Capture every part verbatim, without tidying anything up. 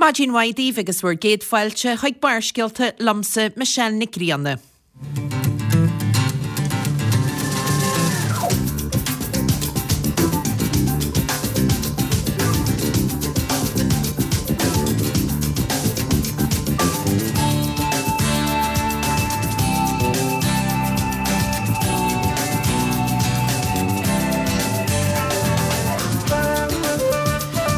Maidin mhaith daoibh agus bhur gcéad fáilte chuig Barrscéalta liomsa Michelle Nic Grianna.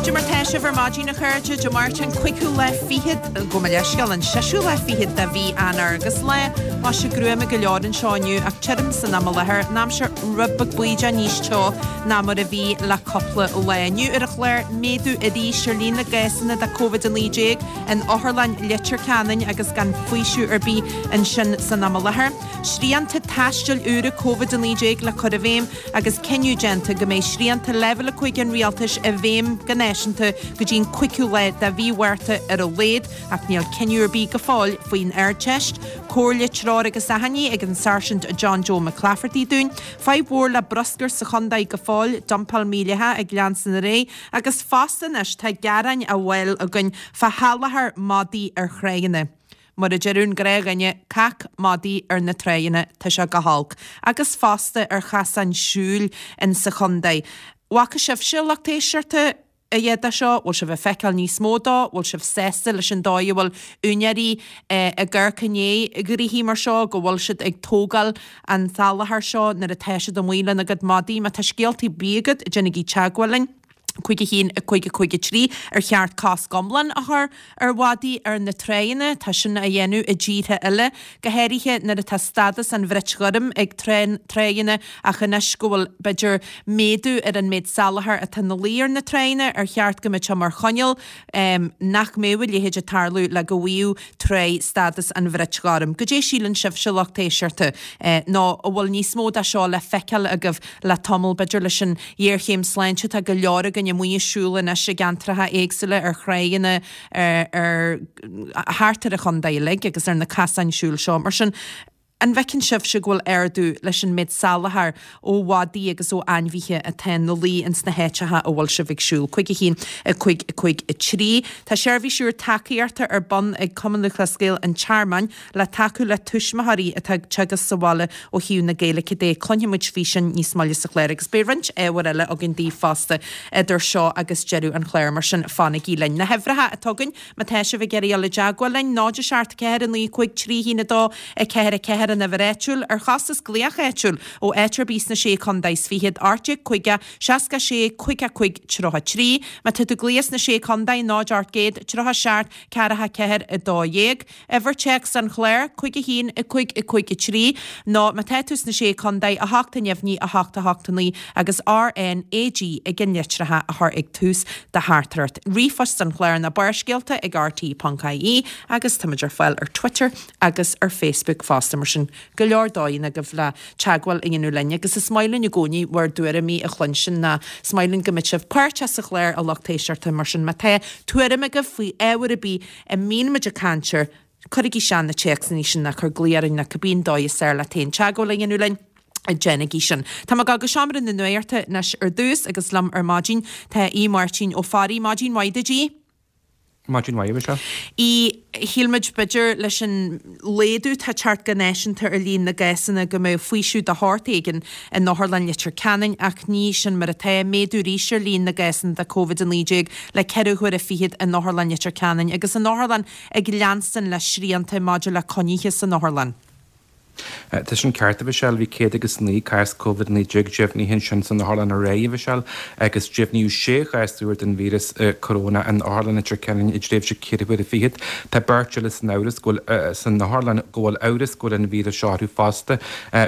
Cad é mar tá sibh ar maidin a chairde, Dé Máirt an cúigiú lá fichead, gabh mo leithscéal, an seisiú lá fichead de mhí Eanáir agus lá maise gruama go leor anseo inniu ach tirim san am i láthair, an aimsir rud beag bídeach níos teo ná mar a bhí le cúpla lá. Inniu ar an chlár, méadú arís ar líon na gcásanna de Covid a naoi déag in Otharlann Leitir Ceanainn agus gan faoiseamh ar bith ansin san am i láthair. Srianta taistil úra Covid a naoi déag le cur i bhfeidhm agus cinneadh déanta go mbeidh srianta leibhéal a cúig an rialtais i bhfeidhm go náisiúnta go dtí an cúigiú lá de mhí Mhárta ar a laghad ach níl cinneadh ar bith go fóill faoin Ardteist. Comhairle, treoir agus achainí ag an Sáirsint John Joe McClafferty dúinn. Fadhb mhór le bruscar sa chontae go fóill, dumpáil mhídhleathach ag leanstan ar aghaidh agus fosta anois tá gearáin á bhfáil againn fá shalachar madaí ar thránna. Mar a deireadh an gnáthdhuine, cac madaí ar na tránna, tá sé go holc. Agus fosta ar chasáin siúil in sa chontae. Bhfaca sibhse, lucht éisteachta, a dhath de seo? Bhfuil sibh ag feiceáil níos mó dó? Bhfuil sibh sásta leis an dóigh a bhfuil úinéirí ag amharc i ndiaidh gnoithí mar seo, go bhfuil siad ag tógáil an tsalachar seo nuair atá siad amuigh lena gcuid madaí? Má tá scéaltaí ar bith agat, déanaigí teagmháil linn. cúig a haon, a cúig a cúig a trí, Ar cheart cosc iomlán a chur ar mhadaí ar na tráigheanna? Tá sin á dhéanamh i dtíortha eile, go háirithe nuair atá stádas an bhrait ghoirm ag tráigheanna ach anois go bhfuil, b'fhéidir, méadú ar an méid salachar atá ina luí ar na tráigheanna, ar cheart go mbeadh sé mar choinníoll nach mbeadh a leithéid ag tarlú le go bhfaigheadh tráigh stádas an bhrait ghoirm? Goidé síleann sibhse, lucht éisteachta, nó an bhfuil níos mó de seo le feiceáil agaibh le tamall, b'fhéidir leis an ghéarchéim sláinte, tá go leor againn amuigh ag siúl anois i gceantracha éagsúla, ar thráigheanna, ar, thart ar an chontae uilig agus ar na casáin siúil seo. Mar sin, an bhfeiceann sibhse go bhfuil ardú leis an méid salachair ó mhadaí agus ó ainmhithe atá ina luí ins na háiteacha a bhfuil sibh ag siúl? cúig a haon, a cúig, a cúig, a trí. Tá seirbhís úr tacaíochta ar bun ag Cumann Lúthchleas Gael an Tearmainn le tacú le tuismitheoirí atá ag teagasc sa bhaile ó thaobh na Gaeilge de. Cluinfidh muid faoi sin níos moille sa chlár agus beidh roinnt ábhair eile againn daoibh fosta idir seo agus deireadh an chláir, mar sin fanaigí linn. Na huimhreacha atá againn má tá sibh ag iarraidh dul i dteagmháil linn, náid a seacht ceathair a naoi cúig trí haon a dó a ceathair a ceathair an uimhir áitiúil, ar chostas glaoch áitiúil ó áit ar bith sna Sé Chontae is Fichead, ocht déag caoga, seasca sé, caoga cúig, tríocha trí. Má tá tú ag glaoch sna Sé Chontae, náid ocht gcéad, tríocha seacht, ceathracha ceathair, a dó dhéag. Uimhir téacs an chláir, cúig a haon, a cúig, a cúig, a trí, nó má tá tú sna Sé Chontae, a hocht a neamhní, a hocht, a hocht, a naoi, agus R N A G ag an litreacha a chur ag tús do theachtaireacht. Ríomhphost an chláir ná Barrscéalta ag R T ponc I E agus táimid ar fáil ar Twitter agus ar Facebook fosta, mar sin go leor dóigheanna agaibh le teagmháil a dhéanamh linn agus is maith linn i gcónaí bhur dtuairimí a chluinstin ná is maith linn go mbeidh sibh páirteach sa chlár a lucht éisteachta mar sin má tá tuairim agaibh faoi ábhar ar bith a mbíonn muid ag caint air, cuirigí isteach na téacsanna sin ná cuir glao orainn ná cibé an dóigh is fearr leat féin teagmháil a dhéanamh linn, déanaigí sin. Tá mé ag dul go seomra na nuachta anois ar dtús agus liom ar maidin tá Aodh Máirtín Ó Fearraigh. Maidin mhaith duit, Aodh. Maidin mhaith, a Mhichelle. Aodh, Shíl muid b'fhéidir leis an laghdú atá ag teacht go náisiúnta ar líon na gcásanna go mbeadh faoiseamh de shórt éigin in Otharlann Leitir Ceanainn ach ní sin mar atá. Méadú arís ar líon na gcásanna de Covid a naoi déag le ceithre huaire fichead in Otharlann Leitir Ceanainn agus an otharlann ag leanstan le srianta maidir le coinnithe san otharlann. Tá sin ceart, a Mhichelle. Bhí céad agus naoi cás Covid a naoi déag deimhnithe ansin san otharlann aréir, a Mhichelle, agus deimhníodh sé chás úr den víreas corónach in Otharlann Leitir Ceanainn i dtréimhse ceithre huaire fichead. Tá beirt eile san amhras go bhfuil san otharlann go bhfuil amhras go bhfuil an víreas seo orthu fosta.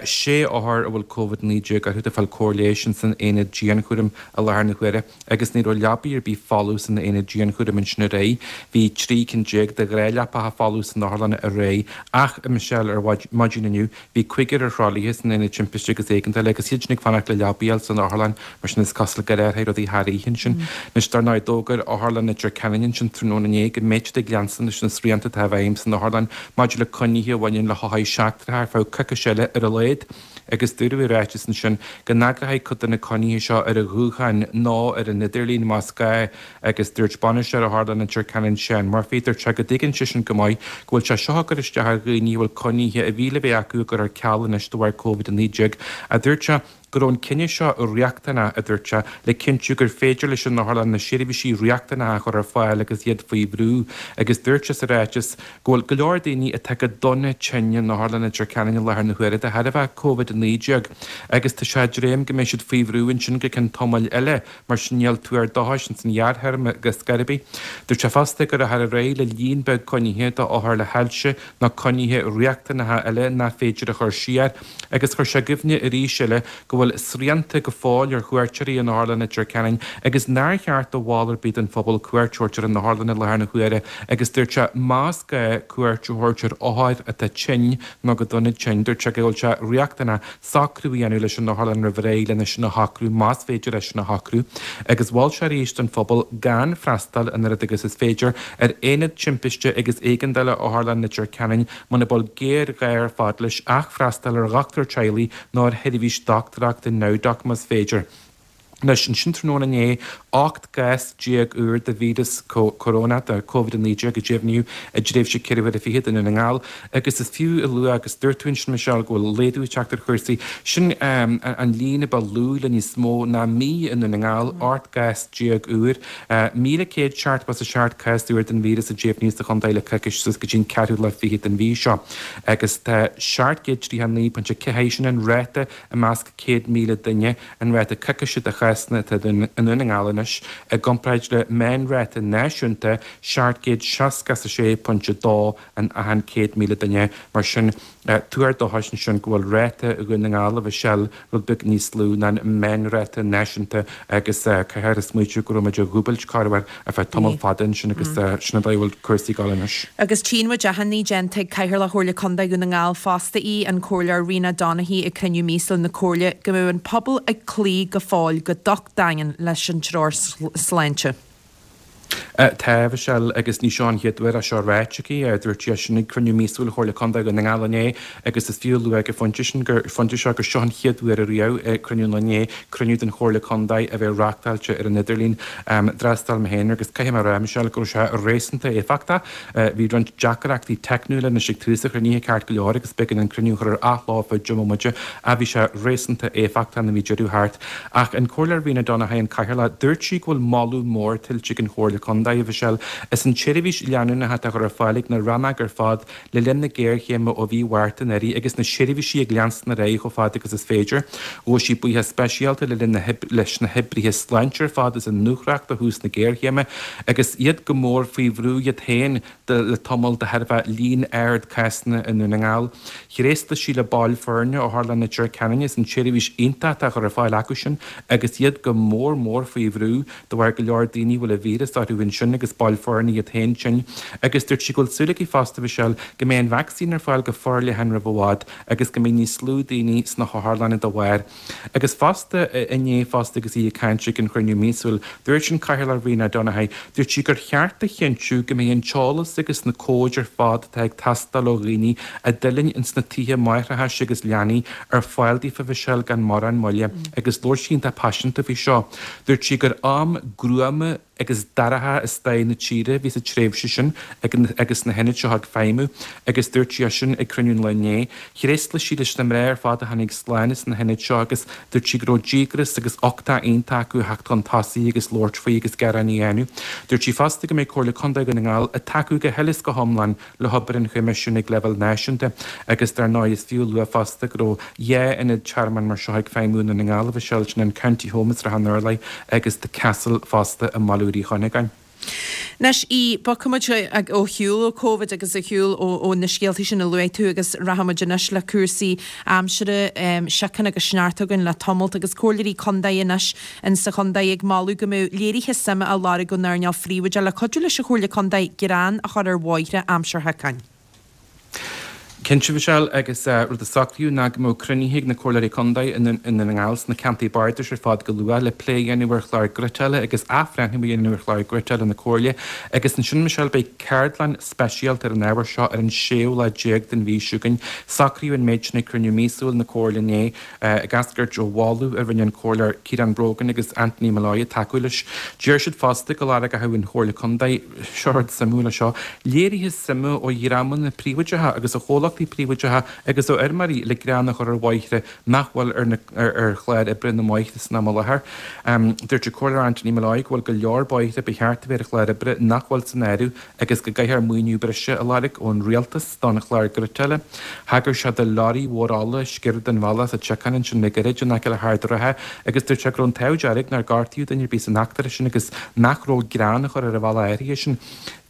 Sé othar a bhfuil Covid a naoi déag orthu atá ag fáil cóir leighis in san aonad dianchúraim i láthair na huaire agus ní raibh leabaí ar bith folamh san aonad dianchúraim ansin aréir. Bhí trí cinn déag de ghnáthleapacha folamh san otharlann aréir ach, a Michelle, ar maidin inniu bhí cúigear ar thralaithe san Aonad Timpiste agus Éigeandála agus iad sin ag fanacht le leabaí a fháil san otharlann, mar sin is cosúil gur athraigh rudaí thar oíche ansin. Anois, dar ndóigh, d'fhógair Otharlann Leitir Ceanainn ansin tráthnóna inné go mbeidh siad ag leanstan leis na srianta atá i bhfeidhm san otharlann maidir le coinnithe a bhaineann le hothair sheachtracha ar feadh coicís eile ar a laghad. Agus dúradh i ráiteas ansin go n-eagrófaí cuid de na coinnithe seo ar an ghuthán nó ar an idirlíon más gá agus dúirt bainisteoir Otharlann Leitir Ceanainn Seán Murphy, dúirt sé go dtuigeann seisean go maith go bhfuil sé seo ag cur isteach ar dhaoine a bhfuil coinnithe a bhí le bheith acu á gcur ar ceal anois de bharr Covid a naoi déag, a dúirt sé. go raibh an cinneadh seo riachtanach, a dúirt sé, le cinntiú gur féidir leis an otharlann na seirbhísí riachtanacha a chur ar fáil agus iad faoi bhrú agus dúirt sé sa ráiteas go bhfuil go leor daoine atá go dona tinn in Otharlann Leitir Ceanainn i láthair na huaire de thairbhe Covid a naoi déag agus tá sé ag dréim go mbeidh siad faoi bhrú ansin go ceann tamaill eile mar sin níl tuar dóchais ins an ghearrthéarma go scor ar bith. Dúirt sé fosta go rachfar ar aghaidh le líon beag coinnithe d'othair le hailse nó coinnithe riachtanacha eile nach féidir a chur siar agus chuir sé i gcuimhne arís eile go bhfuil srianta go fóill ar chuairteoirí in Otharlann Leitir Ceanainn agus nár cheart do bhall ar bith den phobal cuairt a thabhairt ar an otharlann i láthair na huaire agus dúirt sé más gá cuairt a thabhairt ar othar atá tinn nó go dona tinn, dúirt sé go bhfuil sé riachtanach socrú a dhéanamh leis an otharlann roimh ré lena sin a shocrú, más féidir é sin a shocrú, agus mhol sé arís don phobal gan freastal an oiread agus is féidir ar Aonad Timpiste agus Éigeandála Otharlann Leitir Ceanainn muna bhfuil géarghá ar fad leis ach freastal ar dhochtúir teaghlaigh nó ar sheirbhís dochtúireachta NowDoc más féidir. Anois, ansin tráthnóna inné, ocht gcás déag úr de víreas corónach, de Covid a naoi déag, a deimhníodh i dtréimhse ceithre huaire fichead i nDún na nGall agus is fiú a lua, agus dúirt tú ansin, Michelle, go bhfuil laghdú ag teacht ar chúrsaí, sin an líon a ba lú le níos mó ná mí i nDún na nGall, ocht gcás déag úr, míle céad seachtó is a seacht cás úr den víreas a deimhníodh sa chontae le coicís suas go dtí an ceathrú lá fichead den mhí seo agus tá seacht gcéad tríocha a naoi pointe ceathair, sin an ráta i measc céad míle duine, an ráta coicíse de chásanna atá i nDún na nGall anois, i gcomparáid le meánráta náisiúnta seacht gcéad seasca is a sé pointe dó in achan céad míle duine. Mar sin, tuar dóchais ansin go bhfuil ráta Dhún na nGall, a Mhichelle, rud beag níos lú ná an meánráta náisiúnta agus caithfear a smaoitiú go raibh muid á dhúbailt corruair ar feadh tamall fada ansin agus sin an dóigh a bhfuil cúrsaí ag dul anois. Agus tchíonn muid achainí déanta ag Cathaoirleach Chomhairle Contae Dhún na nGall fosta í, an Comhairleoir Rena Donaghey ag cruinniú míosúil na Comhairle go mbeadh an pobal ag cloí go fóill go docht daingean leis an treoir sláinte. Tá, a Mhichelle, agus ní seo an chéad uair é seo ráite aici. Dúirt sí é sin ag cruinniú míosúil Chomhairle Contae Dhún na nGall inné agus is fiú a lua ag an phointe sin gur phointe seo gur seo an chéad uair ariamh ag cruinniú an lae inné, cruinniú den Chomhairle Contae a bheith reáchtáilte ar an idirlíon. D'fhreastail mé féin air agus caithfidh mé a rá, a Mhichelle, go raibh sé réasúnta éifeachtach. Bhí roinnt deacrachtaí teicniúla anois ag tús an chruinnithe ceart go leor agus b'éigean an cruinniú a chur ar athló ar feadh deich mbomaite ach bhí sé réasúnta éifeachtach nuair a bhí deireadh thart. Ach an Comhairleoir Rena Donaghey, an Cathaoirleach, dúirt sí go bhfuil moladh mór tuillte ag an Chomhairle Contae, a Mhichelle, as an tseirbhís leanúnach atá á chur ar fáil ag na rannóga ar fad le linn na géarchéime ó mhí Mhárta anuraidh agus na seirbhísí ag leanstan ar aghaidh chomh fada agus is féidir. Ghabh sí buíochas speisialta le linn na leis na hoibrithe sláinte ar fad as a ndúthracht ó thús na géarchéime agus iad go mór faoi bhrú iad féin le tamall de thairbhe líon ard cásanna i nDún na nGall. Thréaslaigh sí le baill foirne Otharlann Leitir Ceanainn as an tseirbhís iontach atá á chur ar fáil acu sin agus iad go mór mór faoi bhrú de bharr go leor daoine a bhfuil an víreas orthu ansin agus baill foirne iad féin tinn. Agus dúirt sí go bhfuil súil aici fosta, a Mhichelle, go mbeidh an vacsaín ar fáil go forleathan roimh i bhfad agus go mbeidh níos lú daoine sna hotharlanna dá bharr. Agus fosta, inné fosta agus í ag caint ag an chruinniú míosúil, dúirt an Cathaoirleach Rena Donaghey, dúirt sí gur cheart a chinntiú go mbeidh an t-eolas agus na comhaid ar fad atá ag teastáil ó dhaoine a d'fhuilaing ins na tithe máithreachais agus leanaí ar fáil daofa, Mhichelle, gan mórán moille agus labhair sí iontach paiseanta faoi seo. Dúirt sí gur am gruama agus dorcha i stair na tíre a bhí sa tréimhse sin agus na hionaid seo ag feidhmiú agus dúirt sí é sin ag cruinniú an lae inné. Thréaslaigh sí leis na mná ar fad a tháinig slán as na hionaid seo agus dúirt sí go raibh díograis agus uchtach iontach acu a theacht chun tosaigh agus labhairt faoi agus gearán a dhéanamh. Dúirt sí fosta go mbeidh Comhairle Contae Dhún na nGall ag tacú go huile is go hiomlán le hobair an Choimisiúin ag leibhéal náisiúnta agus dar ndóigh is fiú a lua fosta go raibh dhá ionad tearmainn mar seo ag feidhmiú i nDún na nGall, a Mhichelle, sin an County Home i Srath an Urláir agus The Castle fosta i mBaile Uí Chuinneagáin. Anois í, bogfaidh muid ó shiúl ó Covid agus ar shiúl ó na scéaltaí sin a luaigh tú agus rachaidh muid anois le cúrsaí aimsire, síocháin agus sneachta againn le tamalt agus comhairleoirí contae anois in sa chontae ag moladh go mbeadh léirithe suime á lorg ón earnáil phríobháideach le cuidiú leis an Chomhairle Contae gearán a chur ar bhóithre aimsir shiocain. Cinnte, Michelle, agus rud a socraíodh ná go mbeadh cruinnithe ag na Comhairleoirí Contae i nDún na nGall sna ceantair bardais ar fad go luath le plé a dhéanamh ar chlár ghriotála agus athbhreithniú a dhéanamh ar chlár griotála na Comhairle agus ansin, Michelle, beidh ceardlann speisialta ar an ábhar seo ar an séú lá déag den mhí seo chugainn. Socraíodh an méid sin ag cruinniú míosúil na Comhairle inné, ag eascairt ó mholadh a rinne an Comhairleoir Ciarán Brogan agus Anthony Molloy ag tacú leis. Deir siad fosta go lorgóidh an Chomhairle Contae, seo rud suimiúil é seo, léirithe suime ó dhreamanna príobháideacha agus ó chomhlachtaí príobháideacha agus ó fheirmeoirí le grean a chur ar bhóithre nach bhfuil ar na ar chlár oibre na mbóithre san am i láthair. Dúirt an Comhairleoir Anthony Molloy go bhfuil go leor bóithre ba cheart a bheith ar an chlár oibre nach bhfuil san áireamh agus go gcaithfear maoiniú breise a lorg ón rialtas don chlár griotála. Thagair sé do leoraí mhór ola a sciorr den bhealach sa tSiocán ansin le gairid in aice le hArd an Rátha agus dúirt sé go raibh an t-ádh dearg nár gortaíodh duine ar bith san eachtra sin agus nach raibh grean a chur ar an bhealach áirithe sin.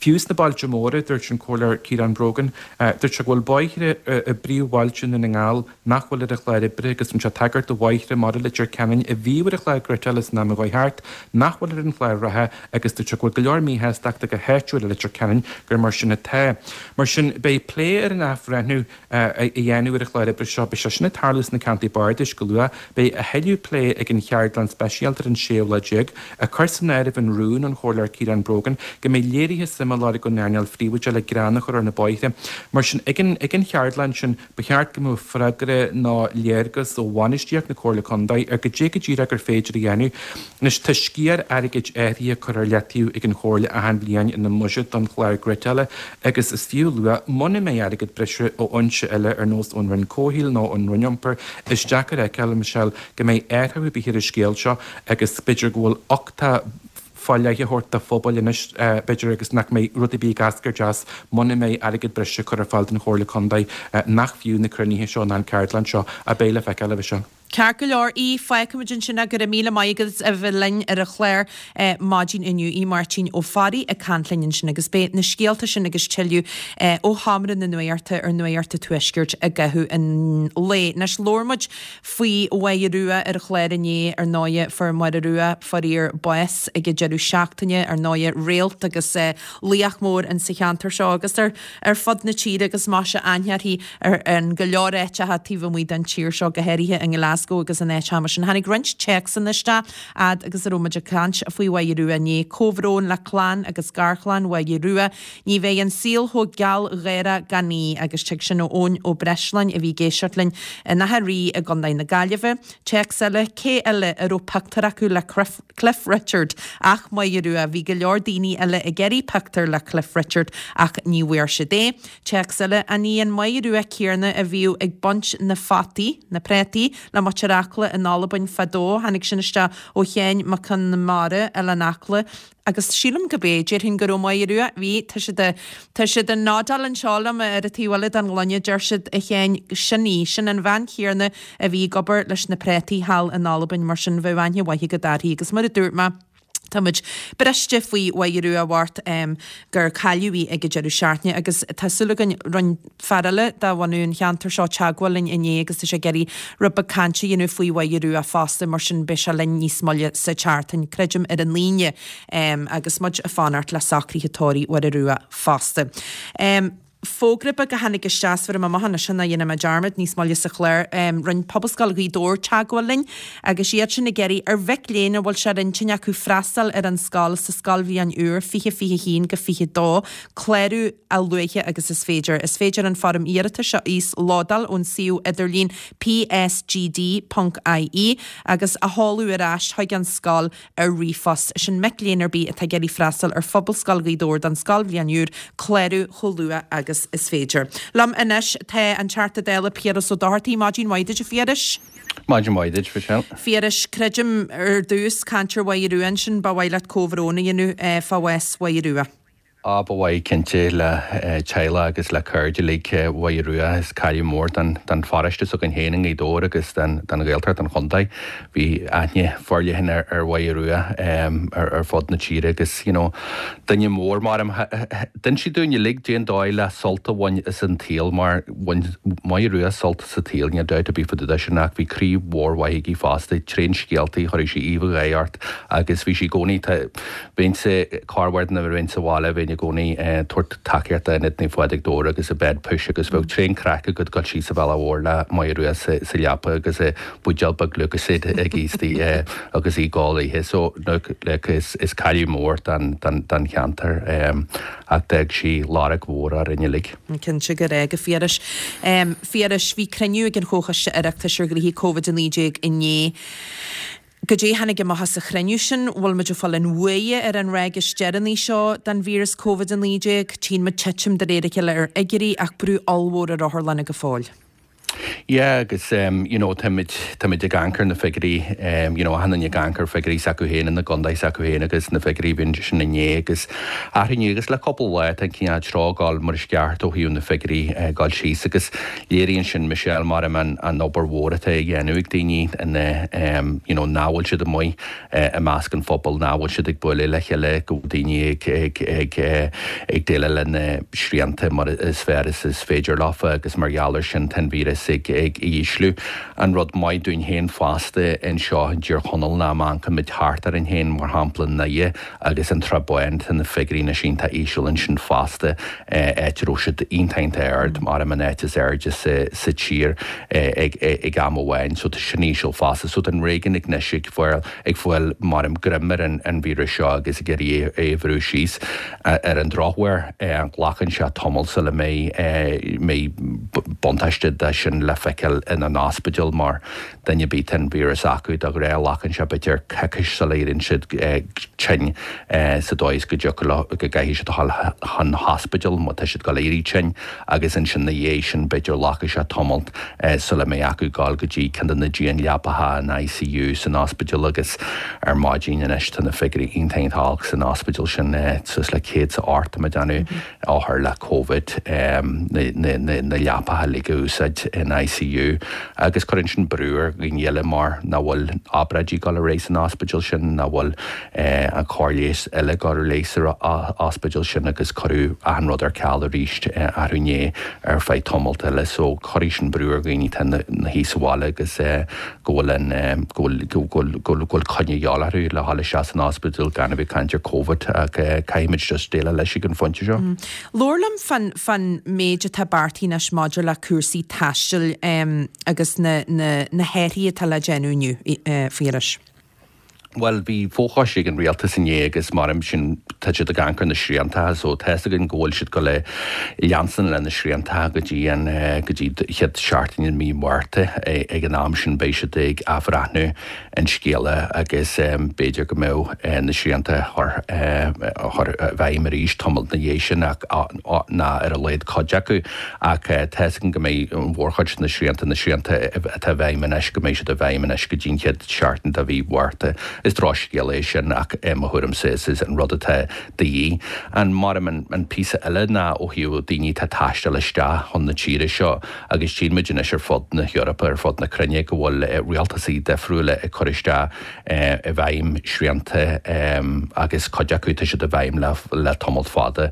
Fiú sna bailte móra, dúirt an Comhairleoir Ciarán Brogan, dúirt sé go bhfuil bóithre i bpríomhbhailte Dhún na nGall nach bhfuil ar an chlár oibre agus rinne sé tagairt do bhóithre mar Leitir Ceanainn a bhíodh ar an chlár griotála san am a chuaigh thart, nach bhfuil ar an chlár reatha agus dúirt sé go bhfuil go leor míshástachta go háitiúil i Leitir Ceanainn gur mar sin atá. Mar sin, beidh plé ar an athbhreithniú a dhéanamh ar an chlár oibre seo. Beidh sé sin ag tarlú sna ceantair bardais go luath. Beidh a thuilleadh plé ag an cheardlann speisialta ar an séú lá déag, ag cur san áireamh an rún ón Chomhairleoir Ciarán Brogan go mbeidh léirithe suime á lorg ón earnáil phríobháideach le grean a chur ar na bóithre. Mar sin, ag an ag an cheardlann sin, ba cheart go mbeadh freagra nó léargas ó bhainistíocht na Comhairle Contae ar goidé go díreach gur féidir a dhéanamh. Anois, tá sciar airgid áirithe curtha ar leataobh ag an Chomhairle achan bhliain ina mbuiséad don chlár griotála agus is fiú a lua, muna mbeidh airgead breise ó fhoinse eile ar nós ón Roinn Comhshaoil nó ón Roinn Iompair, is deacair a fheiceáil, a Michelle, go mbeidh athrú ar bith ar an scéal seo agus b'fhéidir go bhfuil uchtach fá leith á thabhairt do phobail anois, b'fhéidir, agus nach mbeidh rud ar bith ag eascairt as muna mbeidh airgead breise curtha ar fáil don Chomhairle Contae, nach fiú na cruinnithe seo ná an ceardlann seo a bheidh le feiceáil, a Mhichelle. Ceart go leor, Aodh, fágfaimid ansin é, go raibh míle maith agat as a bheith linn ar an chlár maidin inniu. Aodh Máirtín Ó Fearraigh ag caint linn ansin agus beidh na scéalta sin agus tuilleadh ó Sheomra na Nuachta ar Nuacht an Tuaiscirt i gcaitheamh an lae. Anois labhair muid faoi Mháire Rua ar an chlár inné, ar ndóighe fuair Máire Rua faraor bás ag an deireadh seachtaine, ar ndóighe réalt agus laoch mór in sa cheantar seo agus ar ar fud na tíre agus maise aithne uirthi ar in go leor áiteacha taobh amuigh den tír seo, go háirithe i nGlasgow agus in áiteacha mar sin. Tháinig roinnt téacsanna isteach fhad agus a raibh muid ag caint faoi Mháire Rua inné. Comhbhrón le clann agus garchlann Mháire Rua. Ní bheidh an saol chomh gealgháireach gan í agus tig sin ó Eoin Ó Breisleáin a bhí ag éisteacht linn in Achadh Rí i gContae na Gaillimhe. Téacs eile, cé eile a raibh pictiúr acu le Cliff Richard ach Máire Rua? Bhí go leor daoine eile ag iarraidh pictiúr le Cliff Richard ach ní bhfuair siad é. Téacs eile, An í an Máire Rua céanna a bhíodh ag baint na fataí, na préataí, le muintir Acla in Albain fadó? Tháinig sin isteach ó Sheáin Mac Con Mara, Oileán Acla. Agus sílim go b'é, déarfainn go raibh Máire Rua, bhí, tá siad a, tá siad ag nodáil anseo liom ar an taobh eile den ghloine, deir siad, a Sheáin, sin í, sin an bhean chéanna a bhí ag obair leis na préataí thall in Albain, mar sin bheadh aithne mhaith agat uirthi. Agus mar a dúirt mé, tá muid briste faoi Mháire Rua bhocht gur cailleadh í ag an deireadh seachtaine agus tá súil againn, rinne fear eile de bhunadh an cheantair seo teagmháil linn inné agus tá sé ag iarraidh rud beag cainte a dhéanamh faoi Mháire Rua fosta, mar sin beidh sé linn níos moille sa tseachtain, creidim ar an Aoine, agus muid ag fanacht le socruithe tórraimh Mháire Rua fosta. Fógra beag a tháinig isteach, is bhéarfaidh mé amach anois é ná dhéanfaidh mé dearmad níos moille sa chlár. Rinne Pobalscoil Ghaoth Dobhair teagmháil linn agus iad sin ag iarraidh ar mhic léinn a bhfuil sé ar intinn acu freastal ar an scoil sa scoilbhliain úr fiche fiche haon go fiche dó, clárú a luaithe agus is féidir. Is féidir an foirm iarratais a íoslódáil ón suíomh idirlín psgd ponc ie agus a sheoladh ar ais chuig an scoil ar ríomhphost. Sin mic léinn ar bith atá ag iarraidh freastal ar Phobalscoil Ghaoth Dobhair don scoilbhliain úr, clárú chomh luath agus is féidir. Liom anois tá an Teachta Dála Piaras Ó Dochartaigh. Maidin mhaith duit a Phiarais. Maidin mhaith duit, Michelle. Phiarais, creidim ar dtús, caint ar Mháire Rua ansin, ba mhaith leat comhbhrón a dhéanamh fá bhás Mháire Rua. Á, ba mhaith, cinnte, le teaghlach agus le cairde uilig Mháire Rua. Is cailleadh mór don don pharóiste s'againn féin i nGaoth Dobhair agus don don Ghaeltacht, don chontae. Bhí aithne forleathan ar ar Mháire Rua ar ar fud na tíre agus, you know, duine mór mar. D'inis sí dúinn uilig cén dóigh le sult a bhaint as an tsaol mar bhain Máire Rua sult as an tsaol, níl dabht ar bith fá dtaobh de sin ach bhí croí mhór mhaith aici fosta, tréan scéaltaí, chuirfeadh sí aoibh gháire ort agus bhí sí i gcónaí, tá, Bheinnse corruair nuair a bheinn sa bhaile, bheinn linn i gcónaí ag tabhairt tacaíochta d'Ionad Naomh Phádraig Dobhair agus a bed push agus bheadh tréan craic agat dul síos an bhealach mhór le Máire Rua sa leapa agus a buidéal beag Lucozade aici istigh agus í ag gol léithe. So look like is is cailleadh mór don don don cheantar ach d'fhág sí lorg mhór orainn uilig. Cinnte go raibh, a Phiarais. Phiarais, bhí cruinniú ag an Chomhchoiste Oireachtais ar ghnoithí Covid a naoi déag inné. Goidé tháinig amach as an chruinniú sin? Bhfuil muid ag fáil an bhuaidh ar an ráig is deireanaí seo den víreas Covid a naoi déag? Tchíonn muid titim de réir a chéile ar fhigiúirí ach brú ollmhór ar otharlanna go fóill. Yeah agus um, you know, táimid táimid ag amharc ar na figiúirí um, you know, achan duine ag amharc ar figiúirí s'acu féin ina gcontae s'acu féin agus na figiúirí bhíonn sin inné agus arú inniu agus le cúpla lá tá an cineál treo ag dul mar is ceart ó thaobh na figiúirí uh, dul síos agus léiríonn sin Michelle mar an an obair mhór atá á dhéanamh ag daoine ina um, you know, nach bhfuil siad amuigh uh, i measc an phobail nach bhfuil siad ag bualadh le chéile go bhfuil daoine ag ag ag uh, ag déileáil le na srianta mar is fearr is is féidir leofa agus mar gheall air sin tá an víreas ag ag ísliú. An rud maith dúinn féin fosta anseo i dTír Chonaill ná má amharcann muid thart orainn féin mar shampla i nDoire agus an Srath Bán tá na figiúirí anois iontach íseal ansin fosta áit a raibh siad iontach iontach ard mar an áit is airde sa sa tír ag ag am amháin so tá sin íseal fosta so tá an réigiún anois ag fáil ag fáil mar an greim ar an an víreas seo agus ag iarraidh é a bhrú síos ar an drochuair glacann sé tamall sula mbeidh mbeidh buntáiste de sin le feiceáil ina n-ospidéal mar duine ar bith tá an víreas acu de ghnáth glacann sé b'fhéidir coicís sula éiríonn siad tinn sa dóigh is go dtiocfadh leo go gcaithfidh siad a dhul chun hospidéal má tá siad ag dul éirí tinn agus ansin ina dhiaidh sin b'fhéidir glacfaidh sé tamalt sula mbeidh acu dul go dtí ceann de na dianleapacha in ICU san ospidéal agus ar maidin anois tá na figiúirí iontach iontach olc san ospidéal sin suas le céad is a hocht tá mé ag déanamh othair le Covid na leapacha uilig a úsáid in ICU agus cuireann sin brú ar dhaoine eile mar nach bhfuil obráidí ag dul ar aghaidh san ospidéal sin, nach bhfuil an cóir leighis eile ag dul ar aghaidh san ospidéal sin agus cuireadh achan rud ar ceal arís arú inné ar feadh tamalt eile so cuirfidh sin brú ar dhaoine atá ina shuí sa bhaile agus go bhfuil an go bhfuil go bhfuil go bhfuil coinne a dhíobháil orthu le dhul isteach san ospidéal gan a bheith ag caint ar Covid ach caithfimid just déileáil leis ag an phointe seo. Labhair liom fán fán méid atá beartaithe anois maidir le cúrsaí taistil agus na na na hathruithe atá le déanamh inniu, a Phiarais. Bhuel, bhí fochoiste ag an rialtas inné agus mar sin tá siad ag amharc ar na srianta so tá fhios againn go bhfuil siad ag dul a leanstan le na srianta go dtí an go dtí chéad seachtain i mí Márta. Ag an am sin beidh siad ag athbhreithniú an scéala agus b'fhéidir go mbeadh na srianta a chur a chur i bhfeidhm arís tamall ina dhiaidh sin ach ná ar a laghad cuid acu ach tá fhios againn go mbeidh an mhórchuid de na srianta na srianta atá i bhfeidhm anois go mbeidh siad i bhfeidhm anois go dtí an chéad seachtain de mhí Mhárta. Is drochscéal é sin ach i mo thuairimse is é an rud atá de dhíth. An mar an an píosa eile ná ó thaobh daoine atá ag taisteal isteach chun na tíre seo agus tchíonn muid anois ar fud na hEorpa, ar fud na cruinne go bhfuil rialtasaí difriúla ag cur isteach i bhfeidhm srianta agus cuid acu tá siad i bhfeidhm le le tamall fada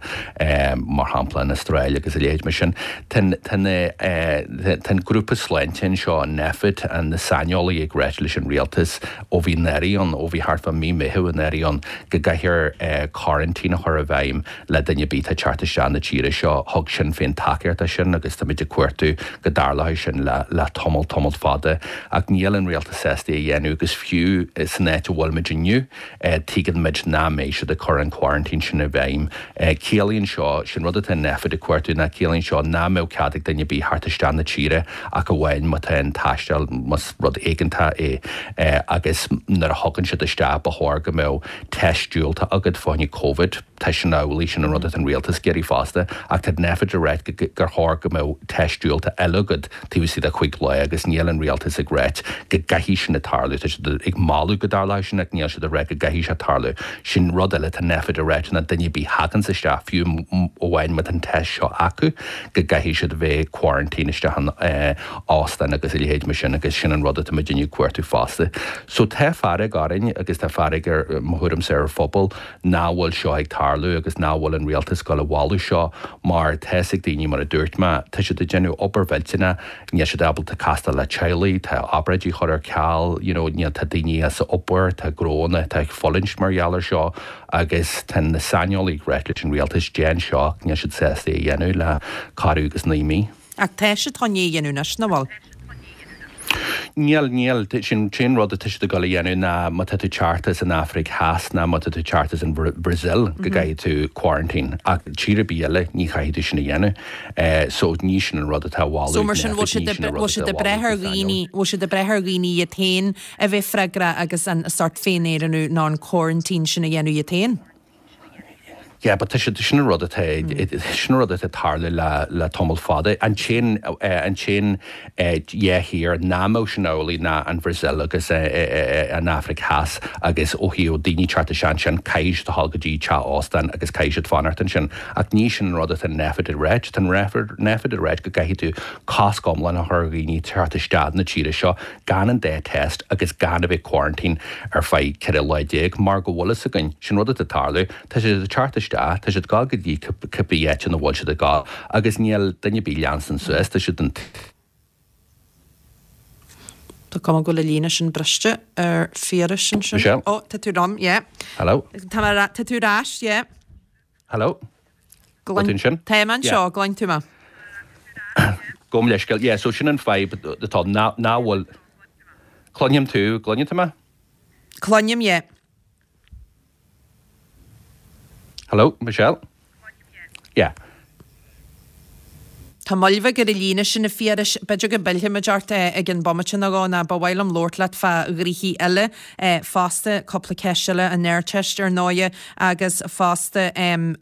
mar shampla an Astráil agus a leithéid mar sin. Tá tá an grúpa sláinte anseo, an Nphet, na saineolaithe ag ráit leis an rialtas ó bhí anuraidh ann, ó bhí thart fá mí Meitheamh anuraidh ann, go gcaithfear coraintín a chur i bhfeidhm le duine ar bith atá ag teacht isteach na tíre seo. Thug Sinn Féin tacaíocht dó sin agus táimid ag cuartú go dtarlóidh sin le le tamall, tamall fada. Ach níl an rialtas sásta é a dhéanamh agus fiú san áit a bhfuilimid inniu, tuigeann muid nach mbeidh siad ag cur an coraintín sin i bhfeidhm. Ciallaíonn seo, sin rud atá Nphet ag cuartú, ná ciallaíonn seo nach mbeadh cead ag duine ar bith theacht isteach na tíre ach amháin má tá an taisteal, más rud éigeantach é agus nuair a thagann siad isteach ba chóir go mbeadh test diúltach agat fá choinne Covid. Tá sin amhlaidh, sin an rud atá an rialtas ag iarraidh fosta, ach tá Nphet ag ráit gur chóir go mbeadh test diúltach eile agat taobh istigh de chúig lá agus níl an rialtas ag ráit go gcaithfidh sin tarlú. Tá siad ag moladh go dtarlóidh sin ach níl siad ag ráit go gcaithfidh sé tarlú. Sin rud eile atá Nphet ag ráit ná duine ar bith a thaganns isteach, fiú amháin má tá an test seo acu, go gcaithfidh siad a bheith quarantine isteach in óstán agus a leithéid mar sin agus sin an rud atá muidinne ag cuartú fosta. So tá fearg orainn agus tá fearg ar mo thuairimse ar an phobal nach bhfuil seo ag tarlú. tarlú agus nach bhfuil an rialtas ag gabháil a mholadh seo mar tá a fhios ag daoine mar a dúirt mé, tá siad ag déanamh obair mhillteanach, níl siad ábalta castáil le teaghlaigh, tá obráidí curtha ar ceal, you know, níl, tá daoine as obair, tá gnóanna atá ag fulaingt mar gheall ar seo agus tá na saineolaithe ag ráit leis an rialtas déan seo ach níl siad sásta é a dhéanamh le corradh agus naoi mí. Ach tá siad chun é a dhéanamh anois, nach bhfuil? Níl, níl. Sin an t-aon rud atá siad ag dul a dhéanamh ná má tá tú teacht as an Afraic Theas ná má tá tú teacht as an Bhrasaíl go gcaithfidh tú quarantine. Ach tír ar bith eile ní chaithfidh tú sin a dhéanamh. So ní sin an rud atá á mholadh So mar sin bhfuil siad bhfuil siad ag brath ar dhaoine, bhfuil siad ag brath ar dhaoine iad féin a bheith freagrach agus an sórt féin-aonrú nó an quarantine sin a dhéanamh iad féin? Yeah, but tá siad, sin an rud atá, sin an rud atá ag tarlú le, le tamall fada. An t-aon, an t-aon dhá thír nach mbeadh sin amhlaidh ná an Bhrasaíl agus an Afraic Theas agus ó thaobh daoine teacht isteach ansin, caithfidh siad a dhul go dtí teach óstán agus caithfidh siad fanacht ansin. Ach ní sin an rud atá an Nphet ag ráit. Tá an Nphet ag ráit go gcaithfidh tú cosc iomlán a chur ar dhaoine teacht isteach na tíre seo gan an dá test agus gan a bheith quarantine ar feadh ceithre lá déag mar go bhfuil fhios againn, sin rud atá ag tarlú, tá siad ag teacht isteach, tá siad ag gabháil go dtí cibé áit ina bhfuil siad ag gabháil agus níl duine ar bith ag leanstan suas, tá siad an. Tá cuma go bhfuil an líne sin briste ar Phiarais ansin. Michelle? Ó, tá tú liom, yeah. Hello? Tá mé, tá tú ar ais, yeah. Hello? Tá tú ansin? Tá mé anseo, gcluin tú mé? Gabh mo leithscéal, yeah, so sin an fadhb atá, ná bhfuil, cluinim tú, gcluineann tú mé? Cluinim, yeah. Hello, Michelle? Yeah. Tá moill bheag ar an líne sin, a Phiarais. B'fhéidir go bpillfimid ort i gceann bomaite nó dhó, nó ba mhaith liom labhairt leat fá ghnoithí eile fosta, cúpla ceist eile, an Ardteist ar ndóighe, agus fosta an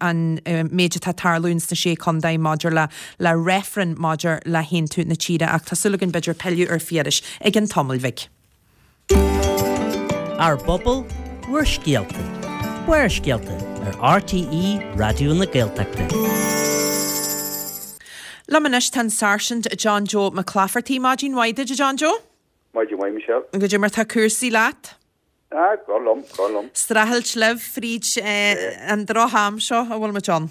méid atá ag tarlú ins na Sé Contae maidir le le reifreann maidir le haontú na tíre. Ach tá súil againn b'fhéidir pilleadh ar Phiarais i gceann tamaill bhig. Ár bpobal, bhur scéalta. Barrscéalta ar RTÉ Raidió na Gaeltachta. Liom anois tá an Sáirsint John Joe Mac Laifeartaigh. Maidin mhaith duit, a John Joe. Maidin mhaith, Michelle. Goidé mar tá cúrsaí leat? Ah, go liom, go liom. Streachailt libh fríd an droch-am seo a bhfuil muid ann.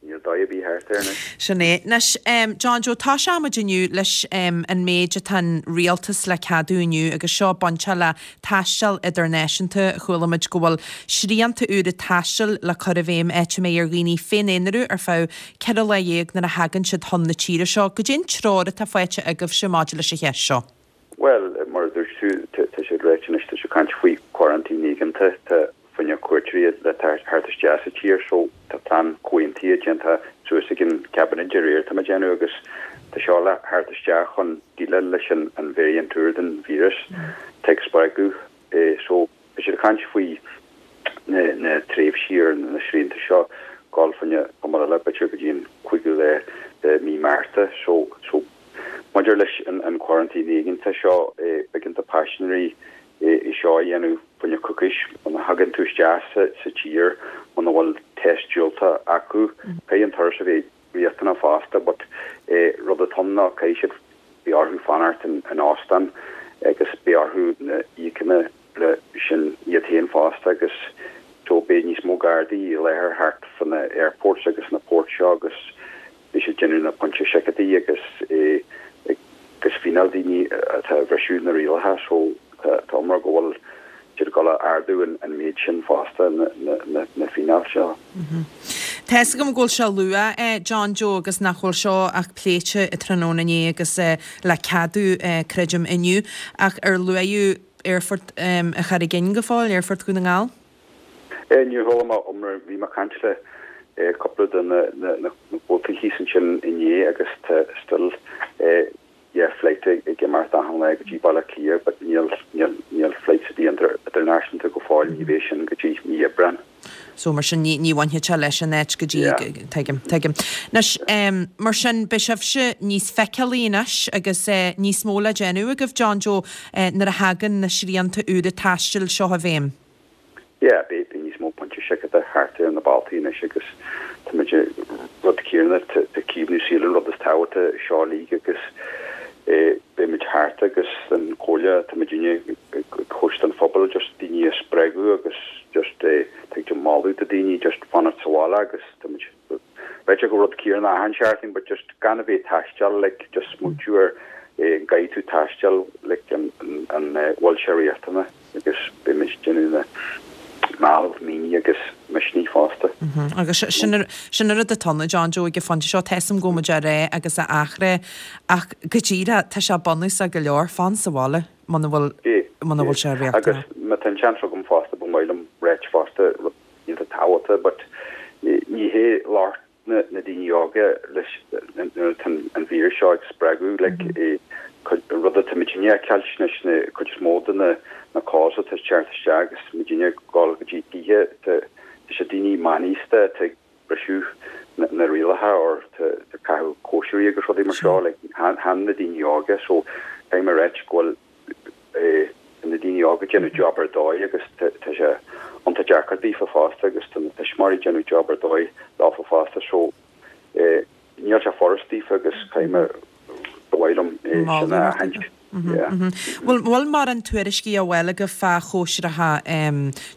Níl dóigh ar bith thart air anois. Sin é. Anois, John Joe, toiseoidh muid inniu leis an méid atá an rialtas le ceadú inniu agus seo bainteach le taisteal idirnáisiúnta. Chuala muid go bhfuil srianta úra taistil le cur i bhfeidhm áit a mbeidh ar dhaoine féin-aonarú ar feadh ceithre lá dhéag nuair a thagann siad chun na tíre seo. Goidé an treoir atá faighte agaibhse maidir leis an cheist seo? Bhuel, mar a dúirt tú, tá siad ráite anois, tá siad ag caint faoi quarantine éigeantach, tá fá choinne cuairteoirí le theacht isteach sa tír so tá plean comhaontaithe déanta suas ag an Cabinet aréir tá mé ag déanamh agus tá seo le theacht isteach chun déileáil leis an an variant úr den víreas atá ag spreagadh so tá siad ag caint faoi na na tréimhsí ar na srianta seo gabháil fá choinne tamall eile b'fhéidir go dtí an cúigiú lá de mí Márta so so maidir leis an an quarantine éigeantach seo b'éigean do paisinéirí é seo a dhéanamh fá choinne coicís muna thagann tú isteach sa tír muna bhfuil test diúltach acu. Caithfidh an turas a bheith riachtanach fosta but rud atá ann ná caithfidh siad beidh orthu fanacht in óstán agus beidh orthu na íocanna le sin iad féin fosta agus so beidh níos mó gardaí i láthair thart fá na airports agus na ports seo agus beidh siad déanamh na pointe seiceálaí agus agus fíneáil daoine atá ag bhriseadh na rialacha so tá iomrá go bhfuil siad ag dul a ardú an méid sin fosta na fíneáil seo. Tá fhios agam go bhfuil sé luath, John Joe, agus nach bhfuil seo ach pléite tráthnóna inné agus le ceadú, creidim, inniu, ach ar luadh Aerfort an Charraig Fhinn go fóill, Aerfort Dhún na nGall? Níor chuala mé iomrá, bhí mé ag caint le cúpla de na comhaltaí thíos ansin inné agus tá still yeah flight ag imeacht achan lá go dtí Baile Átha Cliath but níl níl níl flights ar bith idirnáisiúnta go fóill, ní bheidh sin go dtí mí Aibreán. So mar sin ní ní bhainfidh sé leis an áit go dtí Yeah. tuigim tuigim. Anois em mar sin beidh sibhse níos feiceálaí anois agus eh níos mó le déanamh agaibh John Joe eh nuair a thagann na srianta úra taistil seo i bhfeidhm. Yeah, beidh níos mó pointe seiceála thart ar na bailtí anois agus tá muid rud céanna, tá caomhnú saoil an rud is tábhachtaí seo uilig agus Beimid thart agus an comhairle tá muidinne ag tabhairt don phobal just daoine a spreagadh agus just tá ag moladh do daoine just fanacht sa bhaile agus tá muid b'fhéidir go rud céanna achan seachtain but just gan a bheith ag taisteal like just smaointiú ar an gcaithfidh tú taisteal like an an bhfuil sé riachtanach agus beimid ag déanamh na mealladh míní agus misnigh fosta. Agus sin sin an rud atá ann, a John Joe ag an phointe seo, tá 'fhios a'm go bhfuil muid á rá agus á athrá ach go díreach tá sé bunúsach go leor, fan sa bhaile muna bhfuil muna bhfuil sé riachtanach. Agus má tá an seans agam fosta ba mhaith liom ráit fosta rud iontach tábhachtach but ní hé locht na na daoine óga leis nuair atá an víreas seo ag spreagadh like rud atá muidinne a cheilt anois na cuid is mó de na na calls atá ag teacht isteach agus muidinne ag dul go dtí tithe tá tá sé daoine meánaosta atá ag briseadh na na rialacha or tá tá caitheamh cóisirí agus rudaí mar seo like chan na daoine óga so caithfidh mé ráit go bhfuil eh na daoine óga ag déanamh job ar dóigh agus tá tá sé iontach deacair daofa fosta agus tá na tuismitheoirí ag déanamh job ar dóigh leofa fosta so eh níl sé furast daofa agus caithfidh mé ba mhaith liom é sin a aithint. Yeah. Bhfuil bhfuil mórán tuairiscí á bhfáil agaibh fá chóisireacha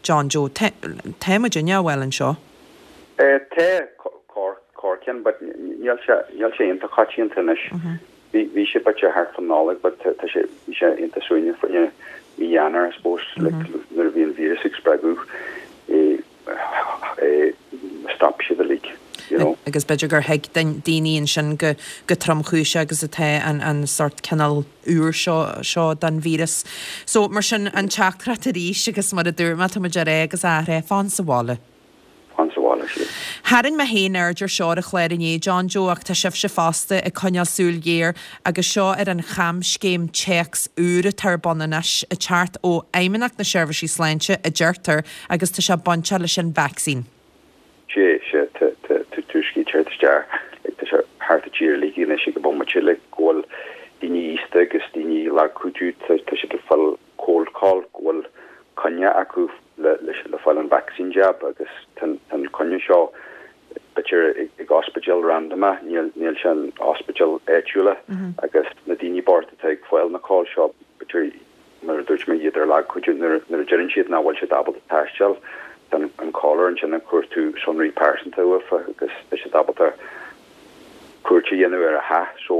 John Joe? Tá tá muidinne á bhfáil anseo. Eh tá corr corr ceann but níl sé níl sé iontach coitianta anois. Bhí bhí sé b'fhéidir thart fan Nollaig but tá tá sé bhí sé iontach suaimhneach faoi mí Eanáir I suppose like nuair a bhí an víreas ag spreagadh eh eh stop siad uilig you know. Agus b'fhéidir gur thuig daoine ansin go go tromchúiseach agus atá an an sort cineál úr seo seo den víreas. So mar sin an teachtaireacht arís agus mar a dúirt mé tá muid á rá agus á athrá fan sa bhaile. Fan sa bhaile sí. Tharraing mé féin aird ar seo ar an chlár inné John Joe ach tá sibhse fosta ag coinneáil súil ghéar agus seo ar an chamscéim téacs úr atá ar bun anois ag teacht ó Fheidhmeannacht na Seirbhísí Sláinte a deirtear agus tá sé bainteach leis an vacsaín. Sé sé tá tá tuairiscí ag teacht isteach like tá sé thart an tír uilig anois ag an bomaite like go bhfuil daoine aosta agus daoine lagchúidiú tá tá siad ag fáil cold call go bhfuil coinne acu le le le fáil an vaccine jab agus tá an coinne seo b'fhéidir ag ag ospidéal random níl níl sé an ospidéal áitiúla agus na daoine bochta atá ag fáil na call seo b'fhéidir mar a dúirt mé iad ar lagchuidiú nuair nuair a deireann siad nach bhfuil siad ábalta taisteal tá an caller ansin ag cuartú sonraí pearsanta uafa agus tá siad ábalta cuairt a dhéanamh ar a theach so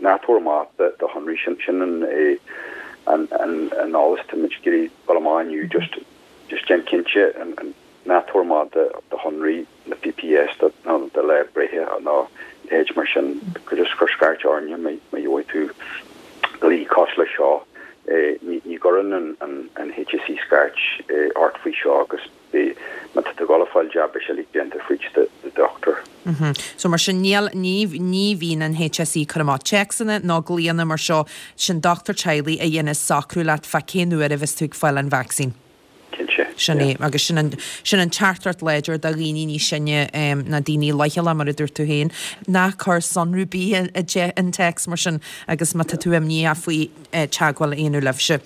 ná tabhair amach do do shonraí sin sin an é an an an eolas tá muid ag iarraidh dul amach inniu just just déan cinnte an an ná tabhair amach do do shonraí na PPS do nó do lá breithe nó leithéid mar sin just cuir scairt orainne má má gheobhaidh tú glao cosúil leis seo eh, ní ní gcuireann an an an HSE scairt eh, ort faoi seo agus bé má tá tú ag dul a fáil jab beidh sé uilig déanta fríd do do dochtúir. Mm So mar sin níl ní ní bhíonn an HSE ag cur amach téacsanna ná glaonna mar seo sin dochtúir teaghlaigh a dhéanann socrú leat fá cén uair a bheas tú ag fáil an vacsaín. Cinnte. Sin é agus sin an sin an teachtaireacht láidir do dhaoine níos sine um, na daoine leochaileacha mar a dúirt tú féin ná cuir sonraí ar bith i an téacs mar sin agus má tá tú imníoch faoi eh, teagmháil a dhéanamh libhse.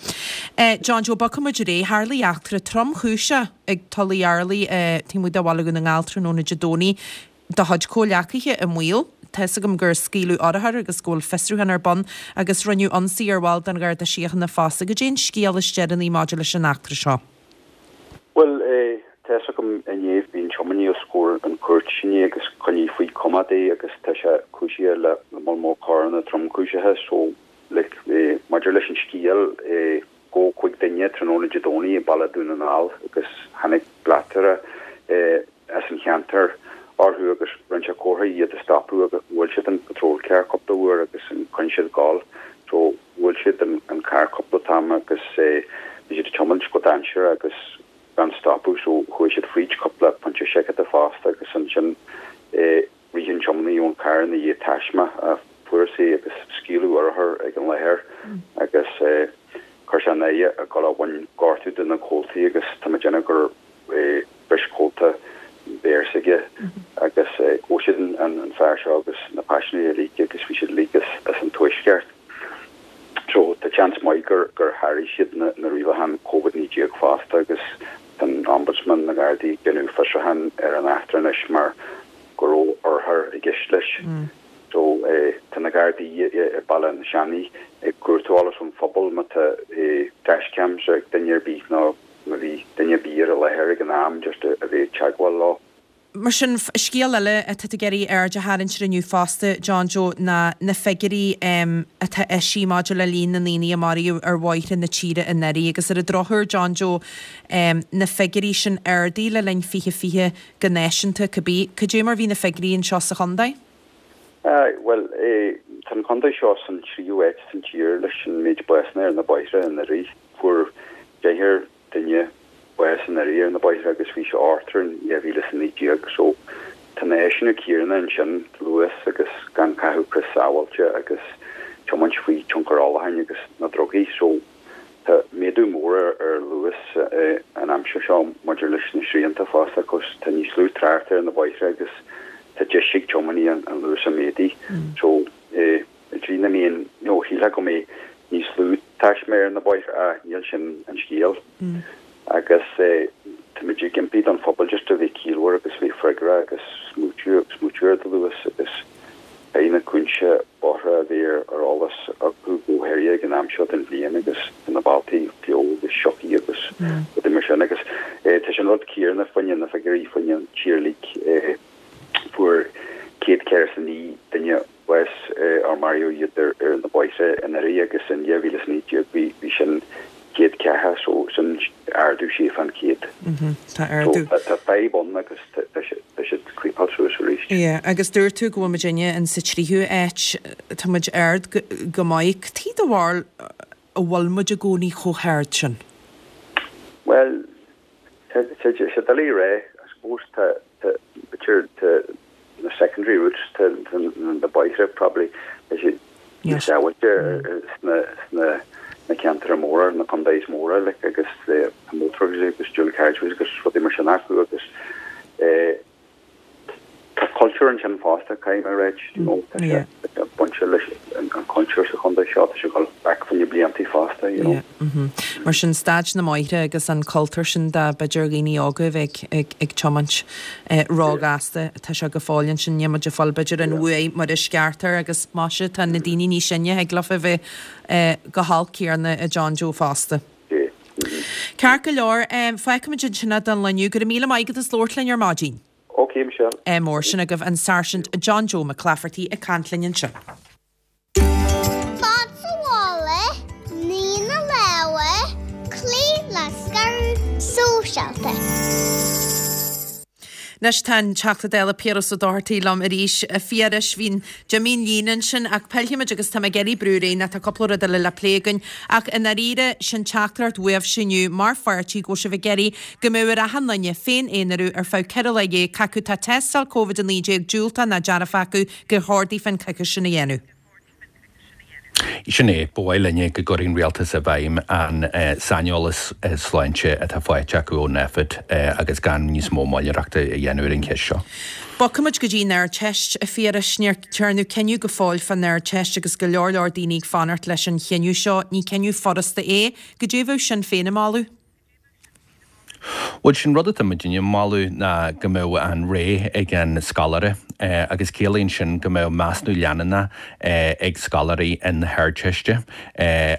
Eh, John Joe bogfaimid ar aghaidh tharla eachtra tromchúiseach ag Tulaigh Earlaí eh, taobh amuigh de Bhaile Dhún na nGall tráthnóna Dé Domhnaigh do chuid comhghleacaithe i mbaol. Tá a fhios agam gur scaoileadh urchar agus go bhfuil fiosrúchán ar bun agus rinneadh ionsaí ar bhall den Gharda Síochána fosta goidé an scéal is deireanaí maidir leis an eachtra seo. Well eh, tá a fhios agam inné bhí an tiománaí os comhair an cúirt inné agus coinníodh faoi choimeád é agus tá sé cúisithe le le moll mór coireanna tromchúiseacha so like, eh, maidir leis an scéal eh, gabhadh cúig duine tráthnóna Dé Domhnaigh i Baile Dhún na nGall agus tháinig bleachtaire eh, as an cheantar orthu agus rinne sé comhartha iad a stopadh agus bhuail siad an patrol car cúpla uair agus an choinnigh siad ag gabháil so bhuail siad an, an car cúpla t-am agus eh, bhí siad ag tiomáint go dainséarach agus gan stopadh so chuaigh siad fríd cúpla pointe seiceála fosta agus ansin eh, rith an tiománaí ón car ina dhiaidh taisme a fuarthas é agus scaoileadh urchar ag an láthair agus eh, chuir sé an aghaidh ag dul a bhain gortú de na comhaltaí agus tá mé ag déanamh gur eh, bhris comhalta béir s'aige agus eh, ghabh siad an, an, an fear seo agus na paisinéirí uilig agus bhí siad uilig as, as an tuaisceart. So tá seans maith gur gur sháraigh siad na, na rialacháin COVID naoi déag fosta agus an ombudsman na Gardaí ag déanamh fiosrúchán ar an eachtra anois mar go raibh urchar i gceist leis. Mm. So Tá na Gardaí i Baile an Seanaigh ag cuartú eolas ón phobal má tá dashcams ag duine ar bith nó má bhí duine ar bith ar an láthair ag an am just a bheith ag teagmháil leo. Mar sin, scéal eile atá tú ag iarraidh aird a tharraingt air inniu fosta, John Joe, ná na figiúirí atá eisithe maidir le líon na ndaoine a maraíodh ar bhóithre na tíre anuraidh. Agus ar an drochuair, John Joe, na figiúirí sin ardaithe le linn fiche fiche go náisiúnta, cibé. Cad é mar bhí na figiúirí anseo sa chontae? Bhuel, tá an contae seo san tríú háit san tír leis an méid básanna ar na bóithre anuraidh. Fuair deichniúr duine bás anuraidh ar na bóithre agus bhí sé ochtar in dhá mhíle is a naoi déag so tá na áiseanna céanna ansin, luas agus gan caitheamh crios sábháilte agus tiomáint faoi tionchar ólacháin agus na drugaí so tá méadú mór ar ar luas an aimsir seo maidir leis na srianta fosta cos tá níos lú trácht ar na bóithre agus tá deis ag tiománaí an luas a mhéadú so i dtrí na mbeidh nó shílfeá go mbeidh níos lú taisme ar na bóithre ach níl sin an scéal. Agus táimid ag impí don phobal just a bheith ciallmhar agus bheith freagrach agus smaoitiú smaoitiú ar do luas agus beidh na cúinsí bóithre a bheith ar eolas acu go háirithe ag an am seo den bhliain agus tá na bealtaí fliuch agus sioctha agus rudaí mar sin agus tá sé an rud céanna fá choinne na figiúirí fá choinne an tír uilig. Fuair céad ceathracha is a naoi duine bás or maraíodh iad ar na bóithre anuraidh agus in dhá mhíle is a naoi déag bhí bhí sin céad ceathracha so sin ardú sé fán chéad. Tá ardú. So tá fadhb ann agus tá siad ag creepáil suas arís. Yeah, agus dúirt tú go bhfuil muidinne in sa tríú áit, tá muid ard go maith. Cad é do bharúil a bhfuil muid i gcónaí chomh hard sin? Bhuel, tá sé doiligh a rá, I suppose tá tá b'fhéidir tá na secondary routes tá na bóithre probably tá siad níos sábháilte sna sna na ceantair móra na contaetha móra like agus tá motorways agus dual carriageways agus rudaí mar sin acu agus eh Tá cultúr ansin fosta, caithfidh mé a ráit, you know, tá sé bainte leis an cultúr sa chontae seo, tá sé ag dul back fá choinne bliantaí fosta, you know. Yeah, mhm. Mar sin, staid na mbóithre agus an cultúr sin de b'fhéidir dhaoine óga a bheith ag ag tiomáint róghasta, tá sé go fóill ansin, níl muid ag fáil b'fhéidir an bhuaidh mar is ceart air agus maise tá na daoine níos sine, thig leofa a bheith chomh holc céanna a John Joe fosta. Yeah, mhm. Ceart go leor, fágfaimid ansin é don lá inniu. Go raibh míle maith agat as labhairt linn ar maidin. Ok, Michelle. Ádh mór sin agaibh an Sáirsint John Joe McClafferty ag caint linn anseo. Fad sa mhála, nigh na lámha, cloígh le scaradh sóisialta. Anois tá an Teachta Dála Piaras Ó Dochartaigh liom arís. A Phiarais, bhí, d'imigh an líne ansin ach pillfimid agus tá mé ag iarraidh brú ar aghaidh nó tá cúpla rud eile le plé againn. Ach i ndáiríre, sin teachtaireacht uaibhse inniu mar pháirtí go bhfuil sibh ag iarraidh go mbeadh ar achan duine féin-aonarú ar feadh ceithre lá dhéag, cé acu tá tástáil Covid a naoi déag diúltach ná dearfach acu, gur chóir daofa an coicís sin a dhéanamh. Sin é, ba mhaith linne go gcuirfeadh an rialtas i bhfeidhm an saineolas sláinte atá faighte acu ó Nphet agus gan níos mó moilleoireachta a dhéanamh ar an cheist seo. Bogfaimid go dtí an Ardteist, a Phiarais. Níor dearnadh cinneadh go fóill fán Ardteist agus go leor leor daoine ag fanacht leis an chinneadh seo. Ní cinneadh furasta é. Goidé a bheadh Sinn Féin ag moladh? Bhuel, sin rud atá muidinne ag moladh ná go mbeadh an rogha ag an scoláire agus ciallaíonn sin go mbeadh measúnú leanúnach ag scoláirí na hArdteiste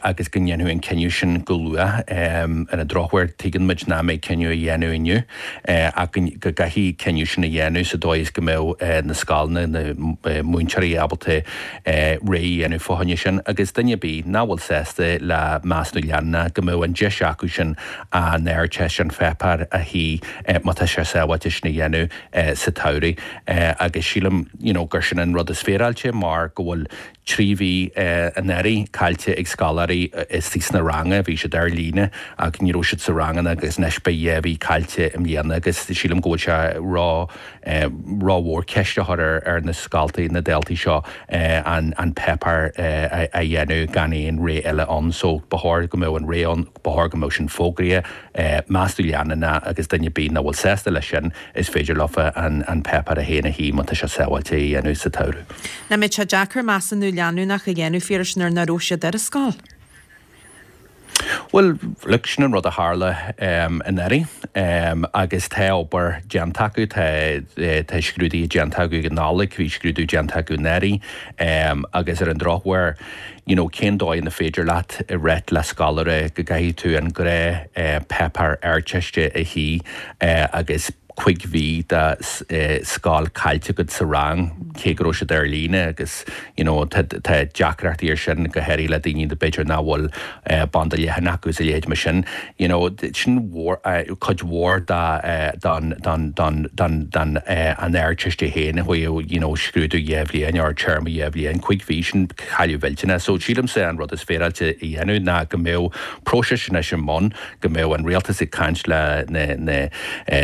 agus go ndéanfadh an cinneadh sin go luath. Ar an drochuair, tuigeann muid nach mbeidh cinneadh á dhéanamh inniu ach go gcaithfidh cinneadh sin a dhéanamh sa dóigh is go mbeadh na scoileanna, na múinteoirí ábalta rogha a dhéanamh fá choinne sin agus duine ar bith nach bhfuil sásta le measúnú leanúnach go mbeadh an deis acu sin an Ardteist, an pháipéar a shuí má tá sé sábháilte sin a dhéanamh sa tsamhradh agus sílim you know gur sin an rud is féaráilte mar go bhfuil trí mhí anuraidh caillte ag scoláirí istigh sna ranga, bhí siad ar líne ach ní raibh siad sa ranganna agus anois beidh dhá mhí caillte i mbliana agus sílim go bhfuil sé ró rómhór ceist a chur ar na scoltaí, na daltaí seo an an páipéar a dhéanamh gan aon rogha eile ann. So ba chóir go mbeadh an rogha ann, ba chóir go mbeadh sin fógraithe, measúnú leanúnach agus duine ar bith nach bhfuil sásta leis sin, is féidir leofa an an páipéar féin a shuí má tá sé sábháilte a dhéanamh sa tsamhradh. Nach mbeadh sé deacair measúnú leanúnach a dhéanamh, a Phiarais, nuair nach raibh siad ar an scoil? Bhuel, look, sin an rud a tharla anuraidh agus tá obair déanta acu, tá tá scrúduithe déanta acu ag an Nollaig, bhí scrúdú déanta acu anuraidh agus ar an drochuair, you know, cén dóigh ina féidir leat rá le scoláire go gcaithfidh tú an gnáthpháipéar Ardteiste a shuí agus cúig mhí de scoil caillte agat sa rang, cé go raibh siad ar líne agus you know tá tá deacrachtaí ar sin go háirithe le daoine b'fhéidir nach bhfuil banda leathan acu is a leithéid mar sin. You know sin mhór cuid mhór de don don don don don an Ardteiste féin a chuaigh you know scrúdú dhá bhliain or téarma dhá bhliain, cúig mhí sin cailleadh millteanach. So sílimse an rud is féaráilte a dhéanamh ná go mbeadh próiseas anois i mbun, go mbeadh an rialtas ag caint le na na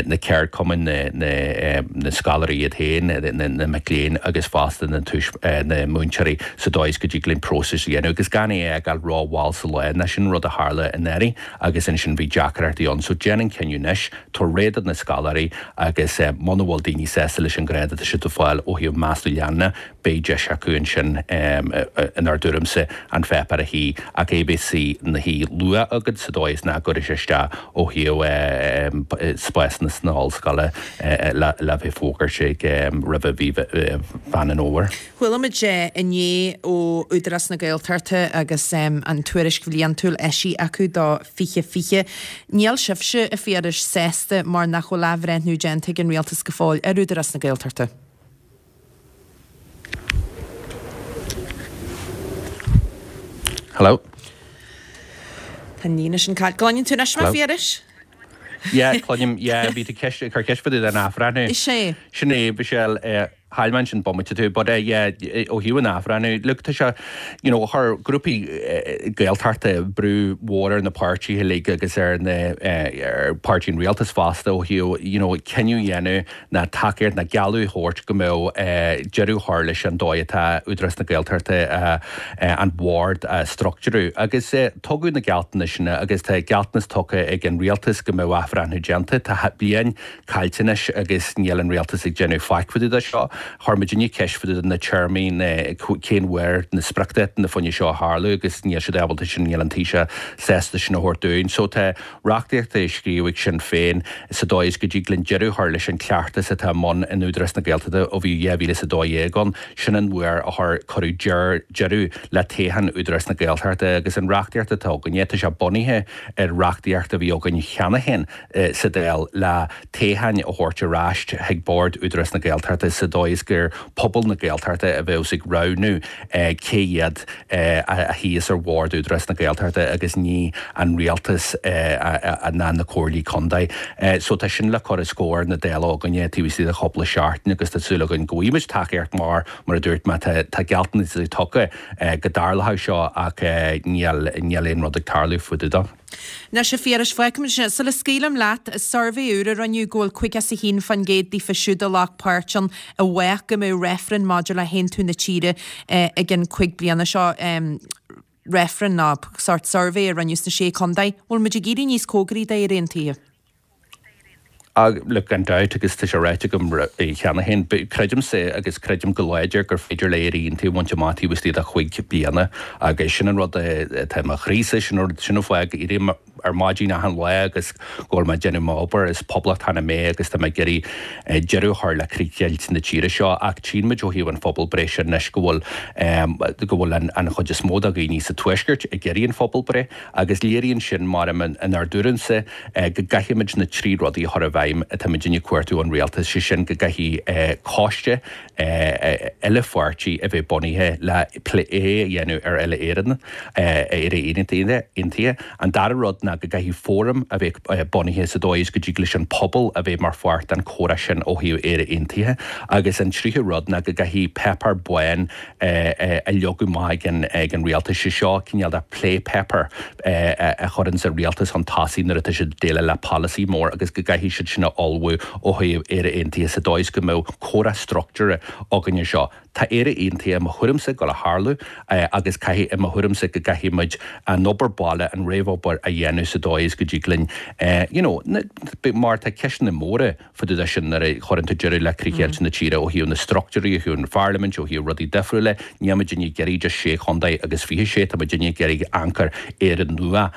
na ceardchumainn, na na na scoláirí iad féin, na na mic léinn agus fosta na túis na múinteoirí sa dóigh is go dtig linn próiseas a dhéanamh agus gan é a fhágáil rómhall sa lá ná sin rud a tharla anuraidh agus ansin bhí deacrachtaí ann. So déan an cinneadh anois, tabhair réidh do na scoláirí agus muna bhfuil daoine sásta leis an grád atá siad ag fáil ó thaobh measúnú leanúnach, beidh deis acu ansin inár dtuairimse an pháipéar a shuí ach é bheith ina shuí luath agat sa dóigh is nach gcuirfidh sé isteach ó thaobh spásanna sna hollscoile le bheith fógartha ag roimhe mhí Mheán an Fhómhair. Chuala muid inné ó Údarás na Gaeltachta agus an tuairisc bhliantúil eisithe acu do fiche fiche. Níl sibhse, a Phiarais, sásta mar nach bhfuil athbhreithniú déanta ag an Rialtas go fóill ar Údarás na Gaeltachta. Hello? Tá an líne sin caillte. Cluineann tú anois mé, a Phiarais? Yeah, cluinim, yeah, bhí tú ceist, ag cur ceist fá dtaobh den athbhreithniú. Is é. Sin é, Michelle, eh, chaill mé ansin bomaite tú, but eh, yeah, ó thaobh an athbhreithniú, look, tá sé, you know, chuir grúpaí eh, Gaeltachta brú mhór ar na páirtithe uilig agus ar na, eh, ar páirtí an rialtais fosta ó thaobh, you know, cinneadh a dhéanamh ná tacaíocht ná gealladh a thabhairt go mbeadh deireadh a chur leis an dóigh atá Údarás na Gaeltachta an bord a struchtúrú. Agus tugadh na gealltanais sin agus tá gealltanas tugtha ag an rialtas go mbeadh athbhreithniú déanta. Tá bliain caillte anois agus níl an rialtas ag déanamh faic fá dtaobh de seo. Chuir muidinne ceist fá dtaobh de na téarmaí na cén uair na spriocdháta fá choinne seo a tharlú agus níl siad ábalta sin, níl an Taoiseach sásta sin a thabhairt dúinn. So tá reachtaíocht á scríobh ag Sinn Féin sa dóigh is go dtig linn deireadh a chur leis an chleachtas atá i mbun in Údarás na Gaeltachta ó bhí dhá mhíle is a dó dhéag ann. Sin an uair a chuir cuireadh deireadh le toghchán Údarás na Gaeltachta agus an reachtaíocht atá againne, tá sé bunaithe ar reachtaíocht a bhí againn cheana féin sa Dáil le toghcháin a thabhairt ar ais chuig Bord Údarás na Gaeltachta sa dóigh is gur pobal na Gaeltachta a bheas ag roghnú cé hiad a shuíos ar Bhord Údarás na Gaeltachta agus ní an rialtas ná na comhairlí contae. So tá sin le cur os comhair na Dála againne taobh istigh de chúpla seachtain agus tá súil againn go bhfaighimid tacaíocht mar, mar a dúirt mé, tá tá gealltanas tugtha go dtarlódh seo ach níl níl aon rud ag tarlú fá dtaobh de. Anois a Phiarais, fágfaimid sin. Sula scaoilim leat, suirbhé úr a rinneadh go bhfuil caoga is a haon faoin gcéad daofa siúd a ghlac páirt ann i bhfách go mbeadh reifreann maidir le haontú na tíre i gcionn cúig bliana seo. Reifreann ná sórt suirbhé a rinneadh sna Sé Chontae. Bhfuil muid ag éirí níos cóngaraí d'Éire Aontaithe? Look, gan dabht, agus tá sé ráite agam cheana féin, creidimse agus creidim go láidir gur féidir le Éire Aontaithe a bhaint amach taobh istigh de chúig bliana agus sin an rud atá i mo chroísa, sin an rud, sin an fáth go éirím ar maidin achan lá agus go bhfuil mé ag déanamh m'obair, is poblachtánach mé agus tá mé ag iarraidh deireadh a chur le críochdheighilt na tíre seo ach tchíonn muid ó thaobh an phobalbhreith sin anois go bhfuil go bhfuil an chuid is mó de dhaoine sa Tuaisceart ag iarraidh an phobalbhreith agus léiríonn sin, mar inár dtuairimse, go gcaithfimid na trí rudaí a chur i bhfeidhm atá muidinne ag cuartú ón rialtas, sé sin go gcaithfidh coiste uile-pháirtí a bheith bunaithe le plé a dhéanamh ar Uile-Éireann, Éire Aontaithe. An dara rud ná go gcaithfidh fóram a bheith bunaithe sa dóigh is go dtig leis an pobal a bheith mar pháirt den chomhrá sin ó thaobh Éire Aontaithe. Agus an tríú rud ná go gcaithfidh páipéar bán a leagadh amach ag an rialtas, sé seo cineál de plé paper a chuireanns an rialtas chun tosaigh nuair atá siad ag déileáil le polasaí mór agus go gcaithfidh siad sin a ullmhú ó thaobh Éire Aontaithe sa dóigh is go mbeadh comhrá struchtúrtha againn air seo. Tá Éire Aontaithe i mo thuairimse ag dul a tharlú agus caithfidh, i mo thuairimse, go gcaithfidh muid an obair baile, an réamhobair a dhéanamh dhéanamh sa dóigh is go dtig linn you know mar tá ceisteanna móra fá dtaobh de sin nuair a chuireann tú deireadh le críochdheighilt na tíre ó thaobh na struchtúirí, ó thaobh an pharlaimint, ó thaobh rudaí difriúla. Níl muidinne ag iarraidh just sé chontae agus fiche sé, tá muidinne ag iarraidh amharc ar Éire nua.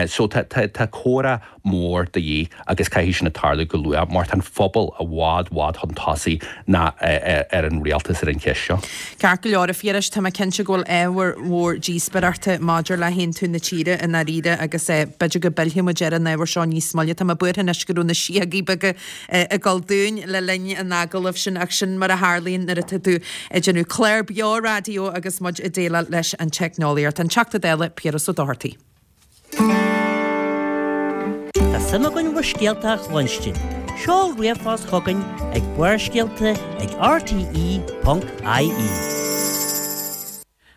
So tá tá comhrá mór de dhíth agus caithfidh sin a tarlú go luath mar tá an phobal i bhfad bhfad chun tosaigh ná ar an rialtas ar an cheist seo. Ceart go leor, a Phiarais, tá mé cinnte go bhfuil ábhar mhór díospóireachta maidir le haontú na tíre i ndáiríre agus b'fhéidir go bpillfidh muid ar an ábhar seo níos moille. Tá mé buartha anois go raibh na síogaí beaga ag dul dúinn le linn an agallaimh sin ach sin mar a tharlaíonn nuair atá tú ag déanamh clár beo raidió agus muid ag déileáil leis an teicneolaíocht. An Teachta Dála Piaras Ó Dochartaigh. Tá suim againn bhur scéalta a chluinstin. Seol ríomhphost chugainn ag Barrscéalta ag rte ponc ie.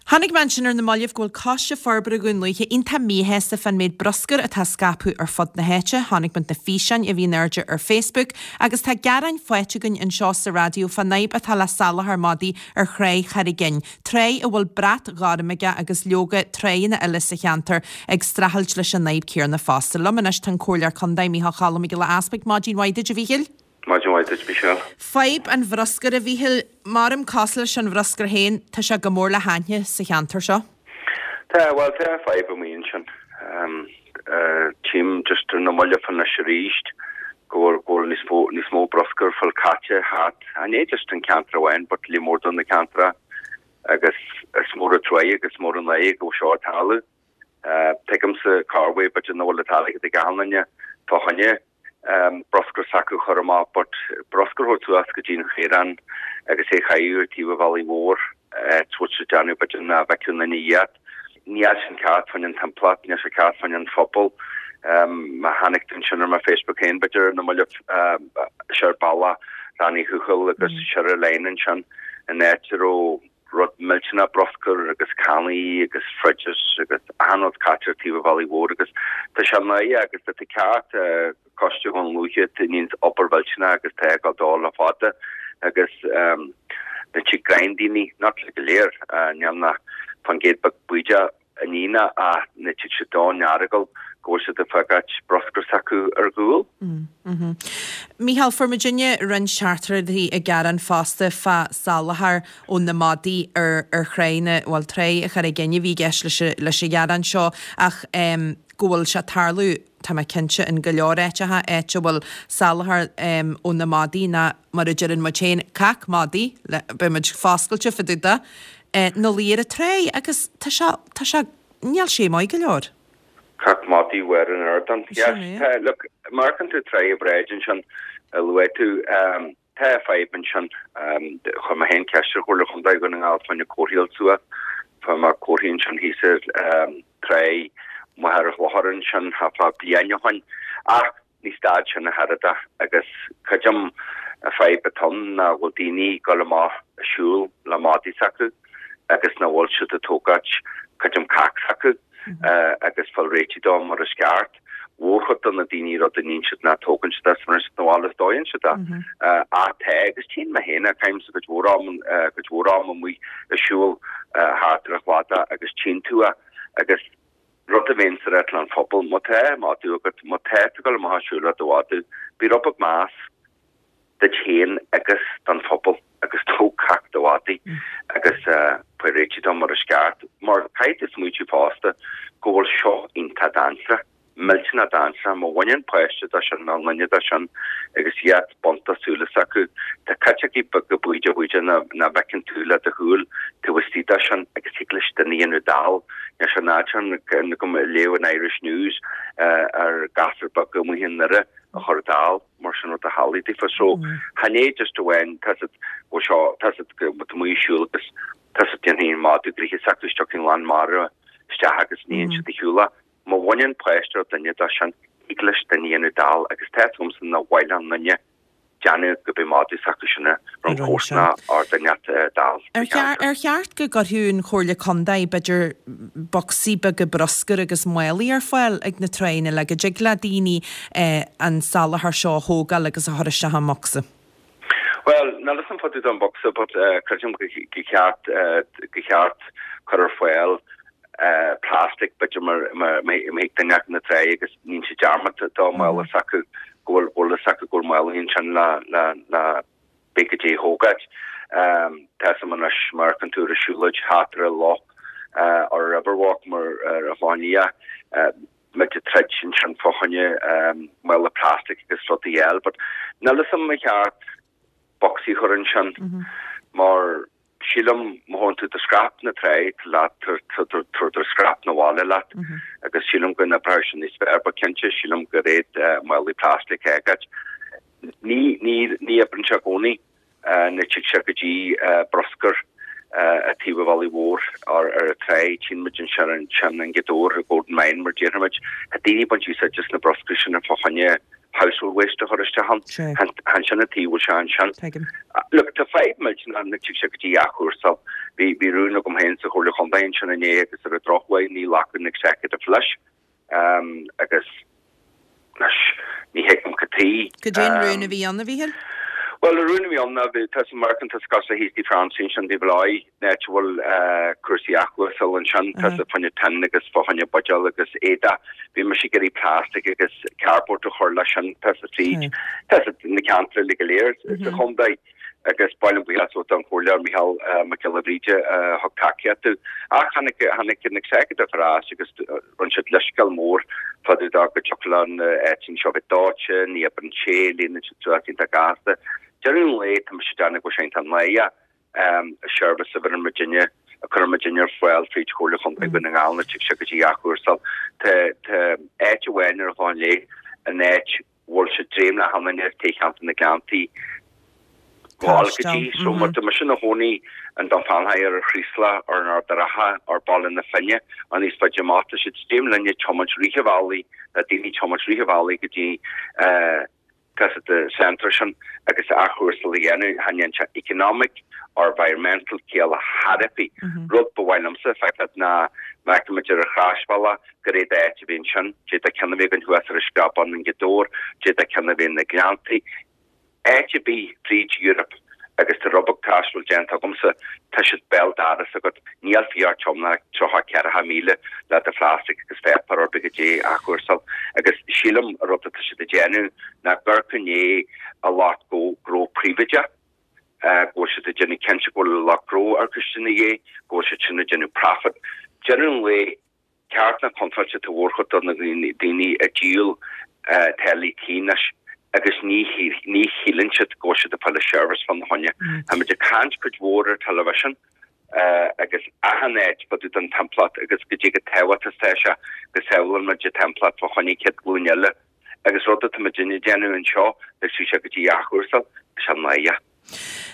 Chonaic mé ansin ar na mallaibh go bhfuil Coiste Forbartha Dhún Lúiche iontach míshásta fán méid bruscair atá scaipthe ar fud na háite. Chonaic muid na físeáin a bhí in airde ar Facebook agus tá gearáin faighte againn anseo sa raidió fán fhadhb atá le salachar madaí ar Thráigh Charraig Fhinn, tráigh a bhfuil brat gorm aige agus leoga tráigheanna eile sa cheantar ag streachailt leis an fhadhb céanna fosta. Liom anois tá an Comhairleoir Contae Micheál Choilm Mac Giolla Easpaig. Maidin mhaith duit a Mhíchíl. Maidin mhaith duit, Michelle. Fadhb an bhruscair, a Mhíchíl, maram cosúil leis an bhruscar féin, tá sé go mór le haithne sa cheantar seo. Tá, bhuel, tá fadhb amuigh ansin. Tchím just ar na mallaibh anois arís go bhfuil, go bhfuil níos mó, níos mó bruscair fáil caite thart, ní just an ceantar amháin but líon mór de na ceantracha agus is mór an truaighe agus mór an náire go bhfuil seo ag tarlú. Tuigimse corruair b'fhéidir nach bhfuil an t-airgead ag achan duine fá choinne bruscar s'acu a chur amach but bruscar a thabhairt suas go dtí an chaorán agus é a chaitheamh ar taobh an bhealaigh mhóir it's what siad déanamh b'fhéidir nach bhfeicfeadh aon duine iad. Níl sin ceart fá choinne an timpeallacht, níl sé ceart fá choinne an phobal. Má chonaic tú ansin ar mo Facebook féin b'fhéidir ar na mallaibh siar bealach Rann Uí Thuathail agus siar ar line ansin in áit a raibh rud millteanach bruscar agus cannaí agus fridges agus achan rud caite ar taobh an bhealaigh mhóir agus tá sé náireach agus tá tá ceart Coiste Dhún Lúiche tá níos obair mhillteanach agus tá ag dul le fada agus na tigh greim daoine not le go léir níl na fan gcéad beag baoideach a nína ach na tigh siad don Earagail go bhfuil siad ag fágáit bruscar s'acu ar gcúl. Mícheál, fuair muidinne roinnt teachtaireachtaí ag gearán fosta fá salachar ó na madaí ar ar thráigh na, bhuel, Tráigh an Charraig Fhinn a bhí i gceist leis leis an ghearán seo ach go bhfuil sé ag tarlú, tá mé cinnte, in go leor áiteacha, áit a bhfuil salachar ó na madaí ná mar a deireann muid féin, cac madaí, beidh muid foscailte fá dtaobh de, ina luí ar an tráigh agus tá sé, tá sé, níl sé maith go leor. Cac madaí ar an ardán. Yes, tá, look, má amharcann tú Tráigh an Bhráid ansin a luaigh tú, tá fadhb ansin. Chuir mé féin ceist ar Chomhairle Chontae Dhún na nGall fá choinne comharthaí a fháil suas. Fuair mé comharthaí ansin thíos ar Tráigh Mhachaire Chlochair ansin thart fá bliain ó shin. Ach ní stad sin ach oiread agus creidim an fadhb atá ann ná go bhfuil daoine ag dul amach ag siúl le madaí s'acu agus nach bhfuil siad ag tógáit creidim cac s'acu agus fáil réitithe dó mar is ceart. Mhórchuid de na daoine rud a níonn siad ná tógann siad as mar is na bhfuil is dóigheann siad é. Ach tá agus tchíonn mé féin é, caithimse cuid mhór am cuid mhór am amuigh ag siúl thart ar an chladach agus tchíonn tú é agus Rud a bheinnse ag ráit leis an phobal, má tá madadh agat, má tá tú ag dul amach ag siúl le do mhadadh, bí rud beag meas duit féin agus don phobal agus tóg cac do mhadaidh agus faigh réitigh dó mar is ceart. Mar caithfidh tú smaoitiú fosta go bhfuil seo iontach dainséarach. Millteanach dainséarach. Má bhaineann páiste dó sin nó duine dó sin agus iad bainte súile s'acu, tá caiteachaí beaga bídeach bídeach nach bhfeiceann tú le do shúil taobh istigh dó sin agus thig leis duine a dhéanamh dall. Níl sé nádúrtha go léamh an Irish News ar ghasúr beag amuigh i nDoire a chur dall mar sin rud a tharlaigh daofa. So chan é just amháin tá siad go seo tá siad go amuigh ag siúl agus tá siad déanfaidh an madadh gnoithe s'acu is tiocfaidh an lán mara isteach agus níonn siad a shiúl. Má bhaineann páiste nó duine dó sin, thig leis duine a dhéanamh dall agus tá 'fhios agamsa nach mhaith le aon duine déanamh go mbeidh madadh s'acu sin ar an chomharsana or duine dall sa cheantar. Ar cheart go gcuirfeadh an Chomhairle Contae, b'fhéidir, bocsaí beaga bruscair agus málaí ar fáil ag na tráigheanna le go dtig le daoine an salachar seo a thógáil agus a chur isteach i mbocsa? Bhuel, níl 'fhios a'm fá dtaobh den bhocsa but creidim go cheart go cheart cur ar fáil plastic b'fhéidir mar mar má thig duine acu na trá agus níonn siad dearmad dá mála s'acu go bhfuil bhfuil fhios acu go bhfuil mála ansin le le le b'fhéidir goidé a thógáil. Tá 'fhios a'm anois má amharcann tú ar an siúlóid thart ar an loch ar Riverwalk mar ar an Chlochán Liath muid ag troid ansin fá choinne mála plastic agus rudaí eile but níl 'fhios a'm ar cheart bocsaí a chur ansin mar sílim má thógann tú do scrap na trá leat tabhair do scrap na bhaile leat agus sílim go n-oibreoidh sin níos fearr but cinnte sílim gur iad málaí plastic a fhágáil. Ní ní ní oibreann sé i gcónaí nuair tig sé go dtí bruscar a taobh an bhealaigh mhóir ar ar an trá tchíonn muid ansin ansin i nGaoth Dobhair i Golden Mine mar déarfaimid tá daoine ag baint úsáid as na bruscair sin fá choinne household waste a chur isteach ann. Chan sin an taobh bhfuil sé ansin. Look, tá fadhb millteanach nuair tig sé go dtí athchúrsáil. Bhí bhí rún agam féin sa Chomhairle Chontae ansin inné agus ar an drochuair ní ghlacann an executive leis agus anois ní thuigim cad tuige. Cad é an rún a bhí ann, a Mhíchíl? Bhuel, an rún a bhí ann ná bhí, tá san amharcann tusa cosúil le thíos Tigh Francie ansin taobh Bhaile an áit a bhfuil cúrsaí athchúrsáil ansin, tá fá choinne tin agus fá choinne buidéal agus éadach. Bhí mise ag iarraidh plastic agus cardboard a chur leis sin, tá sa tríd, tá sa na ceantair uilig go léir sa chontae agus ba mhaith liom buíochas a thabhairt don Chomhairleoir Micheál Mac Giolla Bhríde a thug tacaíocht domh. Ach tháinig, tháinig an executive ar ais agus rinne siad leithscéal mór fá dtaobh de go dtiocfadh leo na áiteanna seo bheith dóite, ní oibreann sé, líonann siad suas iontach gasta. Deireadh an lae, tá mise ag déanamh go bhfuil sé iontach náireach an seirbhís a bheireann muidinne, a chuireann muidinne ar fáil fríd Chomhairle Chontae Dhún na nGall nuair tig sé go dtí athchúrsáil. Tá tá áit amháin ar an Chlochán Liath, an áit bhfuil sé dréim le hanainn ar taobh cheantar na Gleanntaí, gabháil go dtí. So má tá mise ina chónaí in Dún Fionnachaidh ar an Chraoslach or in Ard a' Rátha or Baile na Finne or níos faide amach tá siad dréim linne tiomáint rith an bhealaigh le daoine tiomáint rith an bhealaigh go dtí tá sa centre sin agus athchúrsáil a dhéanamh chan dhéanann sé economic or environmental ciall ar bith. Rud ba mhaith liomsa feiceáil ná má fheicimid ar an Chroisbhealach gur iad áit a bhí ansin, d'fhéadfadh ceann a bheith againn thuas ar an Screabán i nGaoth Dobhair, d'fhéadfadh ceann a bheith na Gleanntaí. Áit ar bith fríd Europe agus tá rud beag taistil déanta agamsa, tá siad béal dorais agat, níl fiú ort tiomáint tríocha ceathracha míle le do phlastic agus pháipéar ar bith goidé a athchúrsáil. Agus sílim an rud atá siad ag déanamh ná gur i ndiaidh an lucht gnó príobháideach, go bhfuil siad ag déanamh cinnte go bhfuil an lucht gnó ar coiste ina dhiaidh, go bhfuil siad sin ag déanamh profit. Deireadh an lae, Ceart ná contráilte tá mórchuid de na daoine ag díol teaghlaigh tí anois agus ní ní shíleann siad go bhfuil siad ag fáil seirbhís fána choinne. Tá muid ag caint cuid mhór ar television agus achan áit fá dtaobh den timpeallacht agus goidé chomh tábhachtach is atá sé go sábhálann muid an timpeallacht fá choinne chéad glúin eile agus rud atá muidinne ag déanamh anseo agus bhí sé go dtí athchúrsáil, tá sé náireach.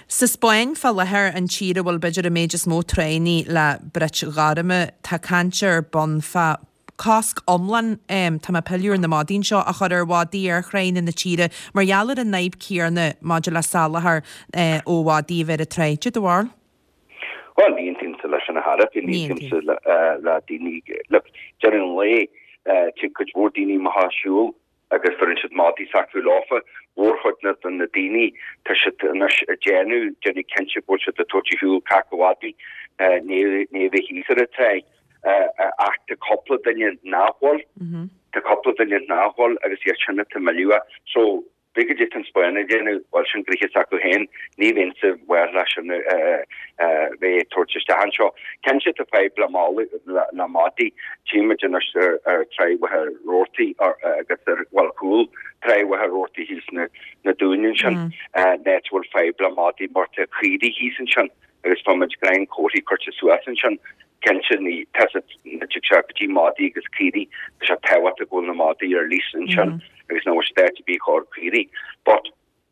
Sa Spáinn fá láthair, an tír a bhfuil b'fhéidir an méid is mó tráigheannaí le bruit ghorma, tá caint ar bun fá cosc iomlán, tá mé ag pilleadh ar na madaí anseo, a chur ar mhadaí ar thráigheanna na tíre mar gheall ar an fhadhb céanna maidir le soláthar ó mhadaí a bheith ar an tráigh. Cad é do bharúil? Bhuel, ní aontaímse leis sin ar chor ar bith, ní aontaímse le daoine, look, deireadh an lae, tig cuid mhór daoine amach ag siúl agus bheireann siad madaí s'acu leofa. Mórchuid de na daoine, tá siad anois ag déanamh, déanamh cinnte go bhfuil siad ag tabhairt ar shiúl caca mhadaí, ní a bheith thíos ar an tráigh. Ach tá cúpla duine nach bhfuil, tá cúpla duine nach bhfuil agus iad sin atá milleadh. So, B'fhéidir goidé tá an Spáinn ag déanamh, bhuel sin gnoithe s'acu féin, ní bheinnse bhuartha leis sin a bheith ag tabhairt isteach anseo. Cinnte tá fadhb le málaí, le madaí, tchíonn muid anois ar ar Tráigh Mhachaire Rabhartaigh agus ar, bhuel cúl Tráigh Mhachaire Rabhartaigh thíos na na Dúin ansin, an áit a bhfuil fadhb le madaí mar tá caoirigh thíos ansin agus tá muid greim comharthaí curtha suas ansin. Cinnte ní, tá sé, nuair tig sé go dtí madaí agus caoirigh, tá sé tábhachtach go bhfuil na madaí ar lease ansin agus nach bhfuil siad áit ar bith chóir caoirigh. But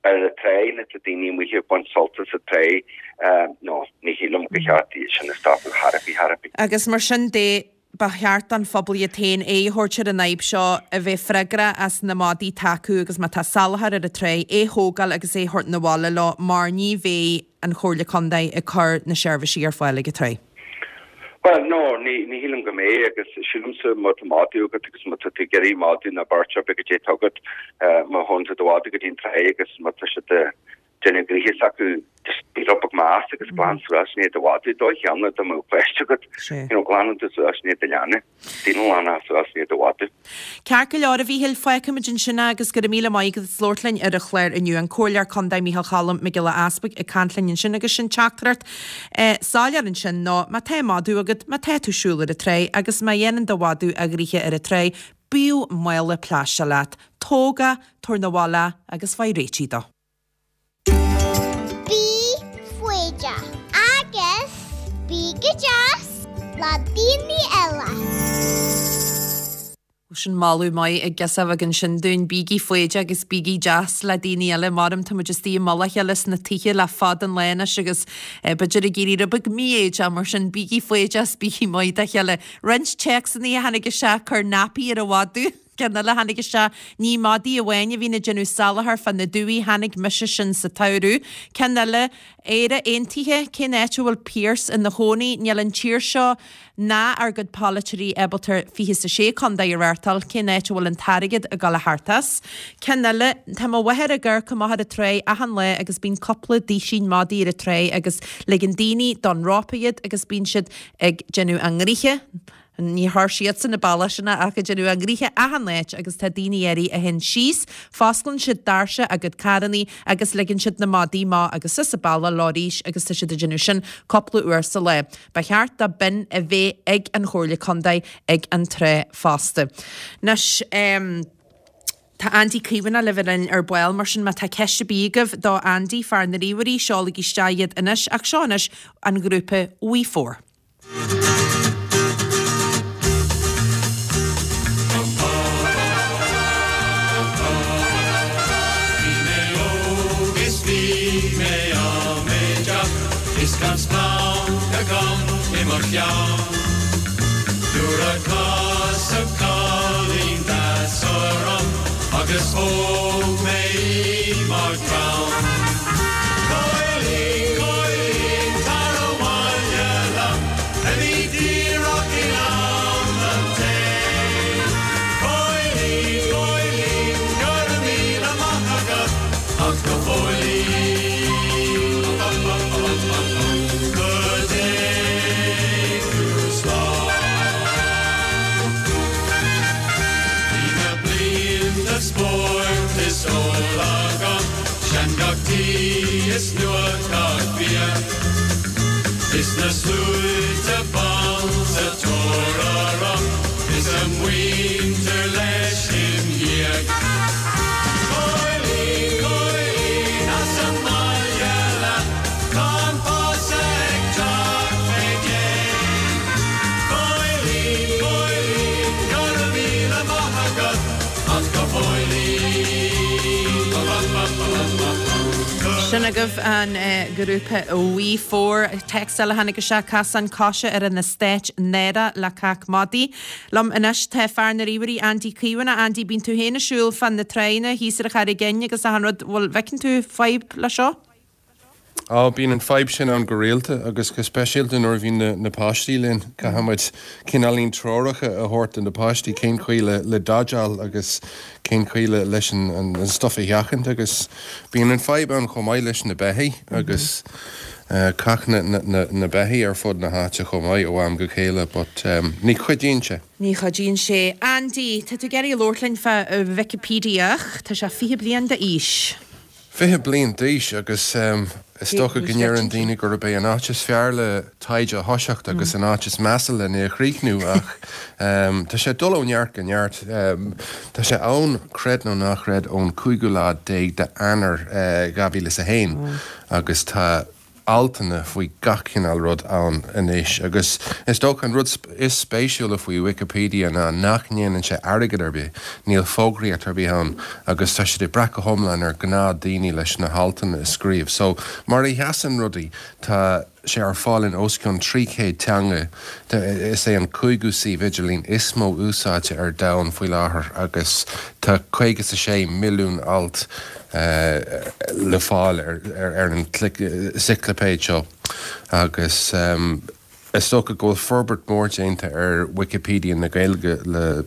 ar an tráigh, nuair tá daoine amuigh ag baint sult as an tráigh, no, ní shílim gur cheart iad sin a stopadh chor ar bith, chor ar bith. Agus mar sin de, ba cheart don phobal iad féin aghaidh a thabhairt ar an fhadhb seo, a bheith freagrach as na madaí atá acu agus má tá salachar ar an tráigh, é a thógáil agus é a thabhairt 'na bhaile leo mar ní bheidh an Chomhairle Contae ag cur na seirbhísí ar fáil ag an tráigh. Bhuel, no, ní, ní shílim go mbeidh agus sílimse má tá madadh agat agus má tá tú ag iarraidh madadh nó beirt ar bith goidé atá agat, má thógann tú do mhadadh go dtí an tráigh agus má tá siad déanamh gnoithe s'acu just bí rud beag measa agus glan suas i ndiaidh do mhadadh dóigh cheana dá mbeadh páiste agat you know glanann tú suas i ndiaidh do leanbh daoine glanadh suas i ndiaidh do mhadadh. Ceart go leor a Mhíchíl, fágfaimid ansin é agus go raibh míle maith agat as labhairt linn ar an chlár inniu. An Comhairleoir Contae Mícheál Cholm Mac Giolla Easbuig ag caint linn ansin agus sin teachtaireacht soiléir ansin ná má tá madadh agat, má tá tú ag siúl ar an tráigh agus má dhéanann do mhadadh a ghnoithe ar an tráigh, bíodh mála plaisteach leat. Tóg é, tabhair 'na bhaile é agus faigh réitigh dó. Bí foighdeach agus bí go deas le daoine eile. Sin moladh maith ag girseach bheag ansin dúinn, bígí foighdeach agus bígí deas le daoine eile. Maram tá muid istigh i mullach a chéile sna tithe le fada an lá anois agus b'fhéidir ag éirí rud beag mífhoighdeach mar sin bígí foighdeach is bígí maith dá chéile. Roinnt téacsanna a tháinig isteach, cuir nappy ar an mhadadh. Ceann eile a tháinig isteach, ní madaí amháin a bhíonn ag déanamh salachar fá na dumhaí, chonaic mise sin sa tsamhradh. Ceann eile, Éire Aontaithe, cén áit a bhfuil Pearse ina chónaí? Níl an tír seo ná ár gcuid polaiteoirí ábalta fiche is a sé contae a reáchtáil, cén áit a bhfuil an t-airgead ag dul a theacht as? Ceann eile, tá mo mháthair ag amharc amach ar an tráigh achan lá agus bíonn cúpla duisín madaí ar an tráigh agus ligeann daoine don rópa iad agus bíonn siad ag déanamh a ngnoithe. Ní thar siadsan na bealach sin ach ag déanamh a ngnoithe achan áit agus tá daoine áirithe a théann síos, fosclann siad doirse a gcuid carrannaí agus ligeann siad na madaí amach agus suas an bealach leo arís agus tá siad ag déanamh sin cúpla uair sa lá. Ba cheart do bin a bheith ag an Chomhairle Contae ag an trá fosta. Anois, tá Andy Caomhánach le bheith linn ar ball, mar sin má tá ceist ar bith agaibh do Andy, fear na ríomhairí, seolaigí isteach iad anois ach seo anois an grúpa We Four. Bhí mé óg is bhí mé amaideach is gan splanc agam i mo cheann. Nuair a casadh cailín deas orm agus thóg mé í mar chrann. Cailín, cailín, tar abhaile liom, a bhí díreach in am an tae. Cailín, cailín, go raibh míle maith agat, ach go fóillín, go dté tú slán. Bhí na blianta spóirt is óil agam, sean-gach tí is nua-ghach bia. Is na sluaite ban sa tóir orm, is a muintir leis im dhiaidh. Cailín, cailín, as an mbaile leat, tá an pósadh ag teacht fé dhéin. Cailín, cailín, go raibh míle maith agat, ach go fóillín, ba ba ba ba ba ba. Sin agaibh an grúpa We Four. Téacs eile a tháinig isteach, Casán coise ar an eastát náireach le cac madaí. Liom anois tá fear na ríomhairí Andy Caomhánach. Andy, bíonn tú féin ag siúl fan na tránna thíos ar an Charraig Fhinn agus achan rud, bhfuil, bhfeiceann tú fadhb le seo? Á, bíonn an fadhb sin ann go rialta agus go speisialta nuair a bhíonn na, na páistí linn. Caithfidh muid cineáilín treoracha a thabhairt do na páistí cén chaoi le, le dodgeáil agus cén chaoi le, leis an, an, an stuff a sheachaint agus bíonn an fadhb ann chomh maith leis na beithígh agus eh, cac na, na, na, na beithígh ar fud na háite chomh maith ó am go chéile but um, ní chuidíonn sé. Ní chuidíonn sé. Andy, tá tú ag iarraidh labhairt linn fá Wikipedia, tá sé fiche bliain d'aois. Fiche bliain d'aois agus um, is dócha go ndeireann daoine gurb é an áit is fearr le taighde a thoiseacht agus an áit is measa lena chríochnú ach um, tá sé dul ó neart go neart. Um, tá sé ann creid nó ná creid ón cúigiú lá déag d'Eanáir uh, dhá mhíle is a haon agus tá altanna faoi gach cineál rud ann anois agus is dócha an rud is spéisiúla faoi Wikipedia ná nach ndéanann sé airgead ar bith, níl fógraíocht ar bith ann agus tá siad ag brath go hiomlán ar ghnáthdaoine leis na haltanna a scríobh. So mar a sheasann rudaí tá sé ar fáil in os cionn trí chéad teanga. Is é an cúigiú suíomh idirlín is mó úsáidte ar domhan faoi láthair agus tá caoga is a sé milliún alt le fáil ar ar an ciclipéid seo agus Is dócha go bhfuil forbairt mhór déanta ar Wikipedia na Gaeilge le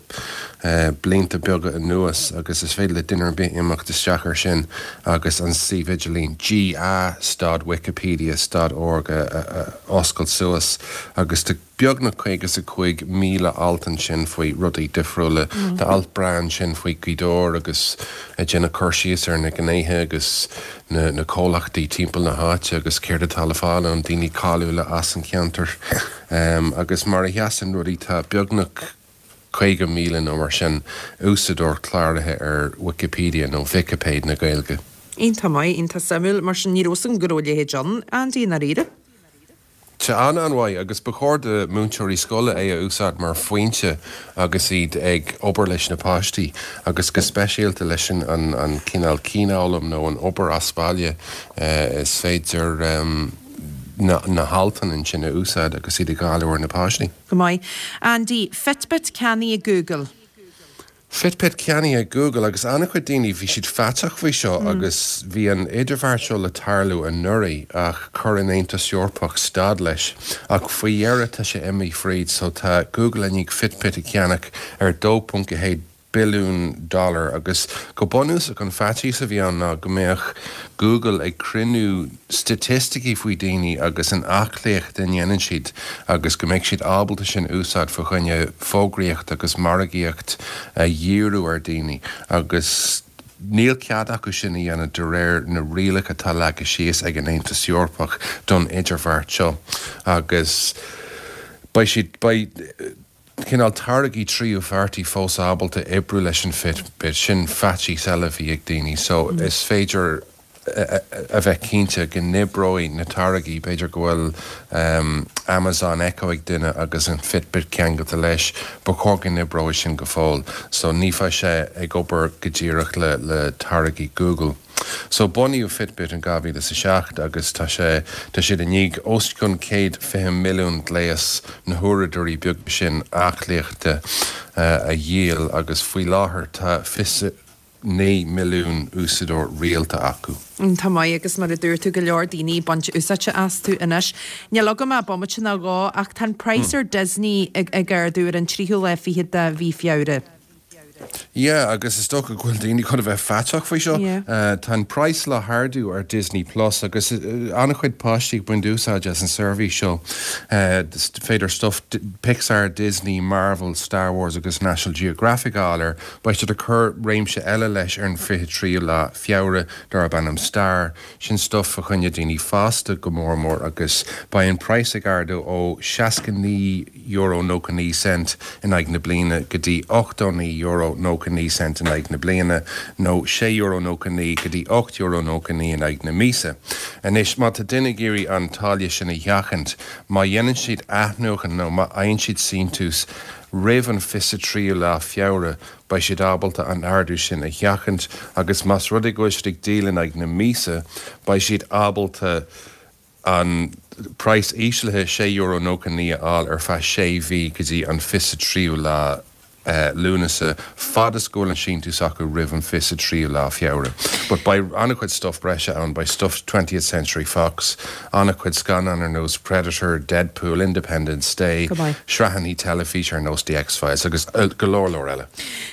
blianta beaga anuas agus is féidir le duine ar bith imeacht isteach air sin agus an suíomh idirlín G A stad Wikipedia stad org a oscailt suas agus tá beagnach caoga is a cúig míle alt ansin faoi rudaí difriúla. Tá alt breá ansin faoi Ghaoth Dobhair agus ag déanamh cur síos ar na gnéithe agus na na comhlachtaí timpeall na háite agus céard atá le fáil ann, daoine cáiliúla as an cheantar. Agus mar a sheasann rudaí tá beagnach caoga míle nó mar sin úsáideoir cláraithe ar Wikipedia nó Vicipéid na Gaeilge. Iontach maith, iontach suimiúil. Mar sin ní raibh 'fhios agam go raibh a leithéid ann, Andy, i ndáiríre. Tá an-an-mhaith agus ba chóir do múinteoirí scoile é a úsáid mar foinse agus iad ag obair leis na páistí agus go speisialta leis an an cineál cianfhoghlaim nó an obair as baile. Is féidir na na haltanna ansin a úsáid agus iad ag dáileadh ar na páistí. Go maith. Andy, Fitbit ceannaithe ag Google. Fitbit ceannaithe ag Google agus an-chuid daoine bhí siad faiteach faoi seo agus bhí an idirbheart seo le tarlú anuraidh ach chuir an Aontas Eorpach stad leis ach faoi dheireadh tá sé imithe fríd so tá Google i ndiaidh Fitbit a cheannach ar dó ponc a haon billiún dollar agus go bunúsach an faitíos a bhí ann ná go mbeadh Google ag cruinniú staitisticí faoi daoine agus an aclaíocht a ndéanann siad agus go mbeadh siad ábalta sin úsáid fá choinne fógraíocht agus margaíocht a dhíriú ar daoine agus níl cead acu sin a dhéanamh de réir na rialacha atá leagtha síos ag an Aontas Eorpach don idirbheart seo agus beidh siad beidh cineál táirgí tríú pháirtí fós ábalta oibriú leis an Fitbit, sin faitíos eile a bhí ag daoine so is féidir a bheith cinnte go n-oibreoidh na táirgí, b'fhéidir go bhfuil Amazon Echo ag duine agus an Fitbit ceangailte leis, ba chóir go n-oibreoidh sin go fóill so ní bheidh sé ag obair go díreach le le táirgí Google. So bunaíodh Fitbit in dhá mhíle is a seacht agus tá sé tá siad i ndiaidh os cionn céad fiche milliún gléas na huaireadóirí beaga sin aclaíochta a dhíol agus faoi láthair tá fiche naoi milliún úsáideoir rialta acu. Tá maith agus mar a dúirt tú go leor daoine ag baint úsáide astu anois. Níl agam ach bomaite nó dhó ach tá an praghas ar Disney ag ag ardú ar an tríú lá fichead de mhí Feabhra. Yeah, agus is dócha go bhfuil daoine chun a bheith faiteach faoi seo. Tá an praghas le hardú ar Disney Plus agus an-chuid páistí ag baint úsáid as an seirbhís seo. Is féidir stuff Pixar, Disney, Marvel, Star Wars agus National Geographic a fháil air. Beidh siad ag cur réimse eile leis ar an fiche tríú lá Feabhra darb ainm Star. Sin stuff fá choinne daoine fásta go mór mór agus beidh an praghas ag ardú ó seasca naoi euro nócha naoi cent in aghaidh na bliana go dtí ochtó naoi euro nócha naoi cent in aghaidh na bliana, nó sé euro nócha naoi go dtí ocht euro nócha naoi in aghaidh na míosa. Anois, má tá duine ag iarraidh an táille sin a sheachaint, má dhéanann siad athnuachan nó má fhaigheann siad síntiús roimh an fiche tríú lá Feabhra, beidh siad ábalta an ardú sin a sheachaint agus más rud é go bhfuil siad ag díol in aghaidh na míosa, beidh siad ábalta an praghas íslithe sé euro nócha naoi a fháil ar feadh sé mhí go dtí an fiche tríú lá Lúnasa, fad is go bhfuil an síntiús acu roimh an fiche tríú lá Feabhra. But beidh an-chuid stuff breise ann, beidh stuff Twentieth Century Fox, an-chuid scannán ar nós Predator, Deadpool, Independence Day, sraitheanna teilifíse ar nós The X-Files agus go leor leor eile.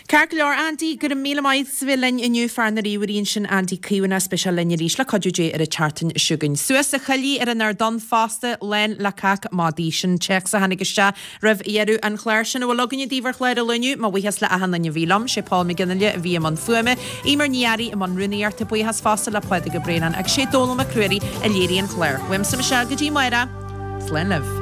Ceart go leor, Andy, go raibh míle maith as a bheith linn inniu, fear na ríomhairí ansin Andy Caomhánach, beidh sé linn arís le cuidiú Dé ar an tseachtain seo chugainn. Suas a choillidh ar an ardán fosta, lán le cac madaidh. Sin téacs a tháinig isteach roimh dheireadh an chláir. Sin a bhfuil againne daoibh ar chlár an lae inniu. Mo bhuíochas le achan duine a bhí liom. Sé Paul McGinley a bhí i mbun fuaime, Eimear Ní Fhearraigh i mbun rúnaíochta, buíochas fosta le Pádraig Ó Braonáin agus sé Dónal Mac Ruairí a léirigh an clár. Uaimse Michelle go dtí amárach. Slán libh.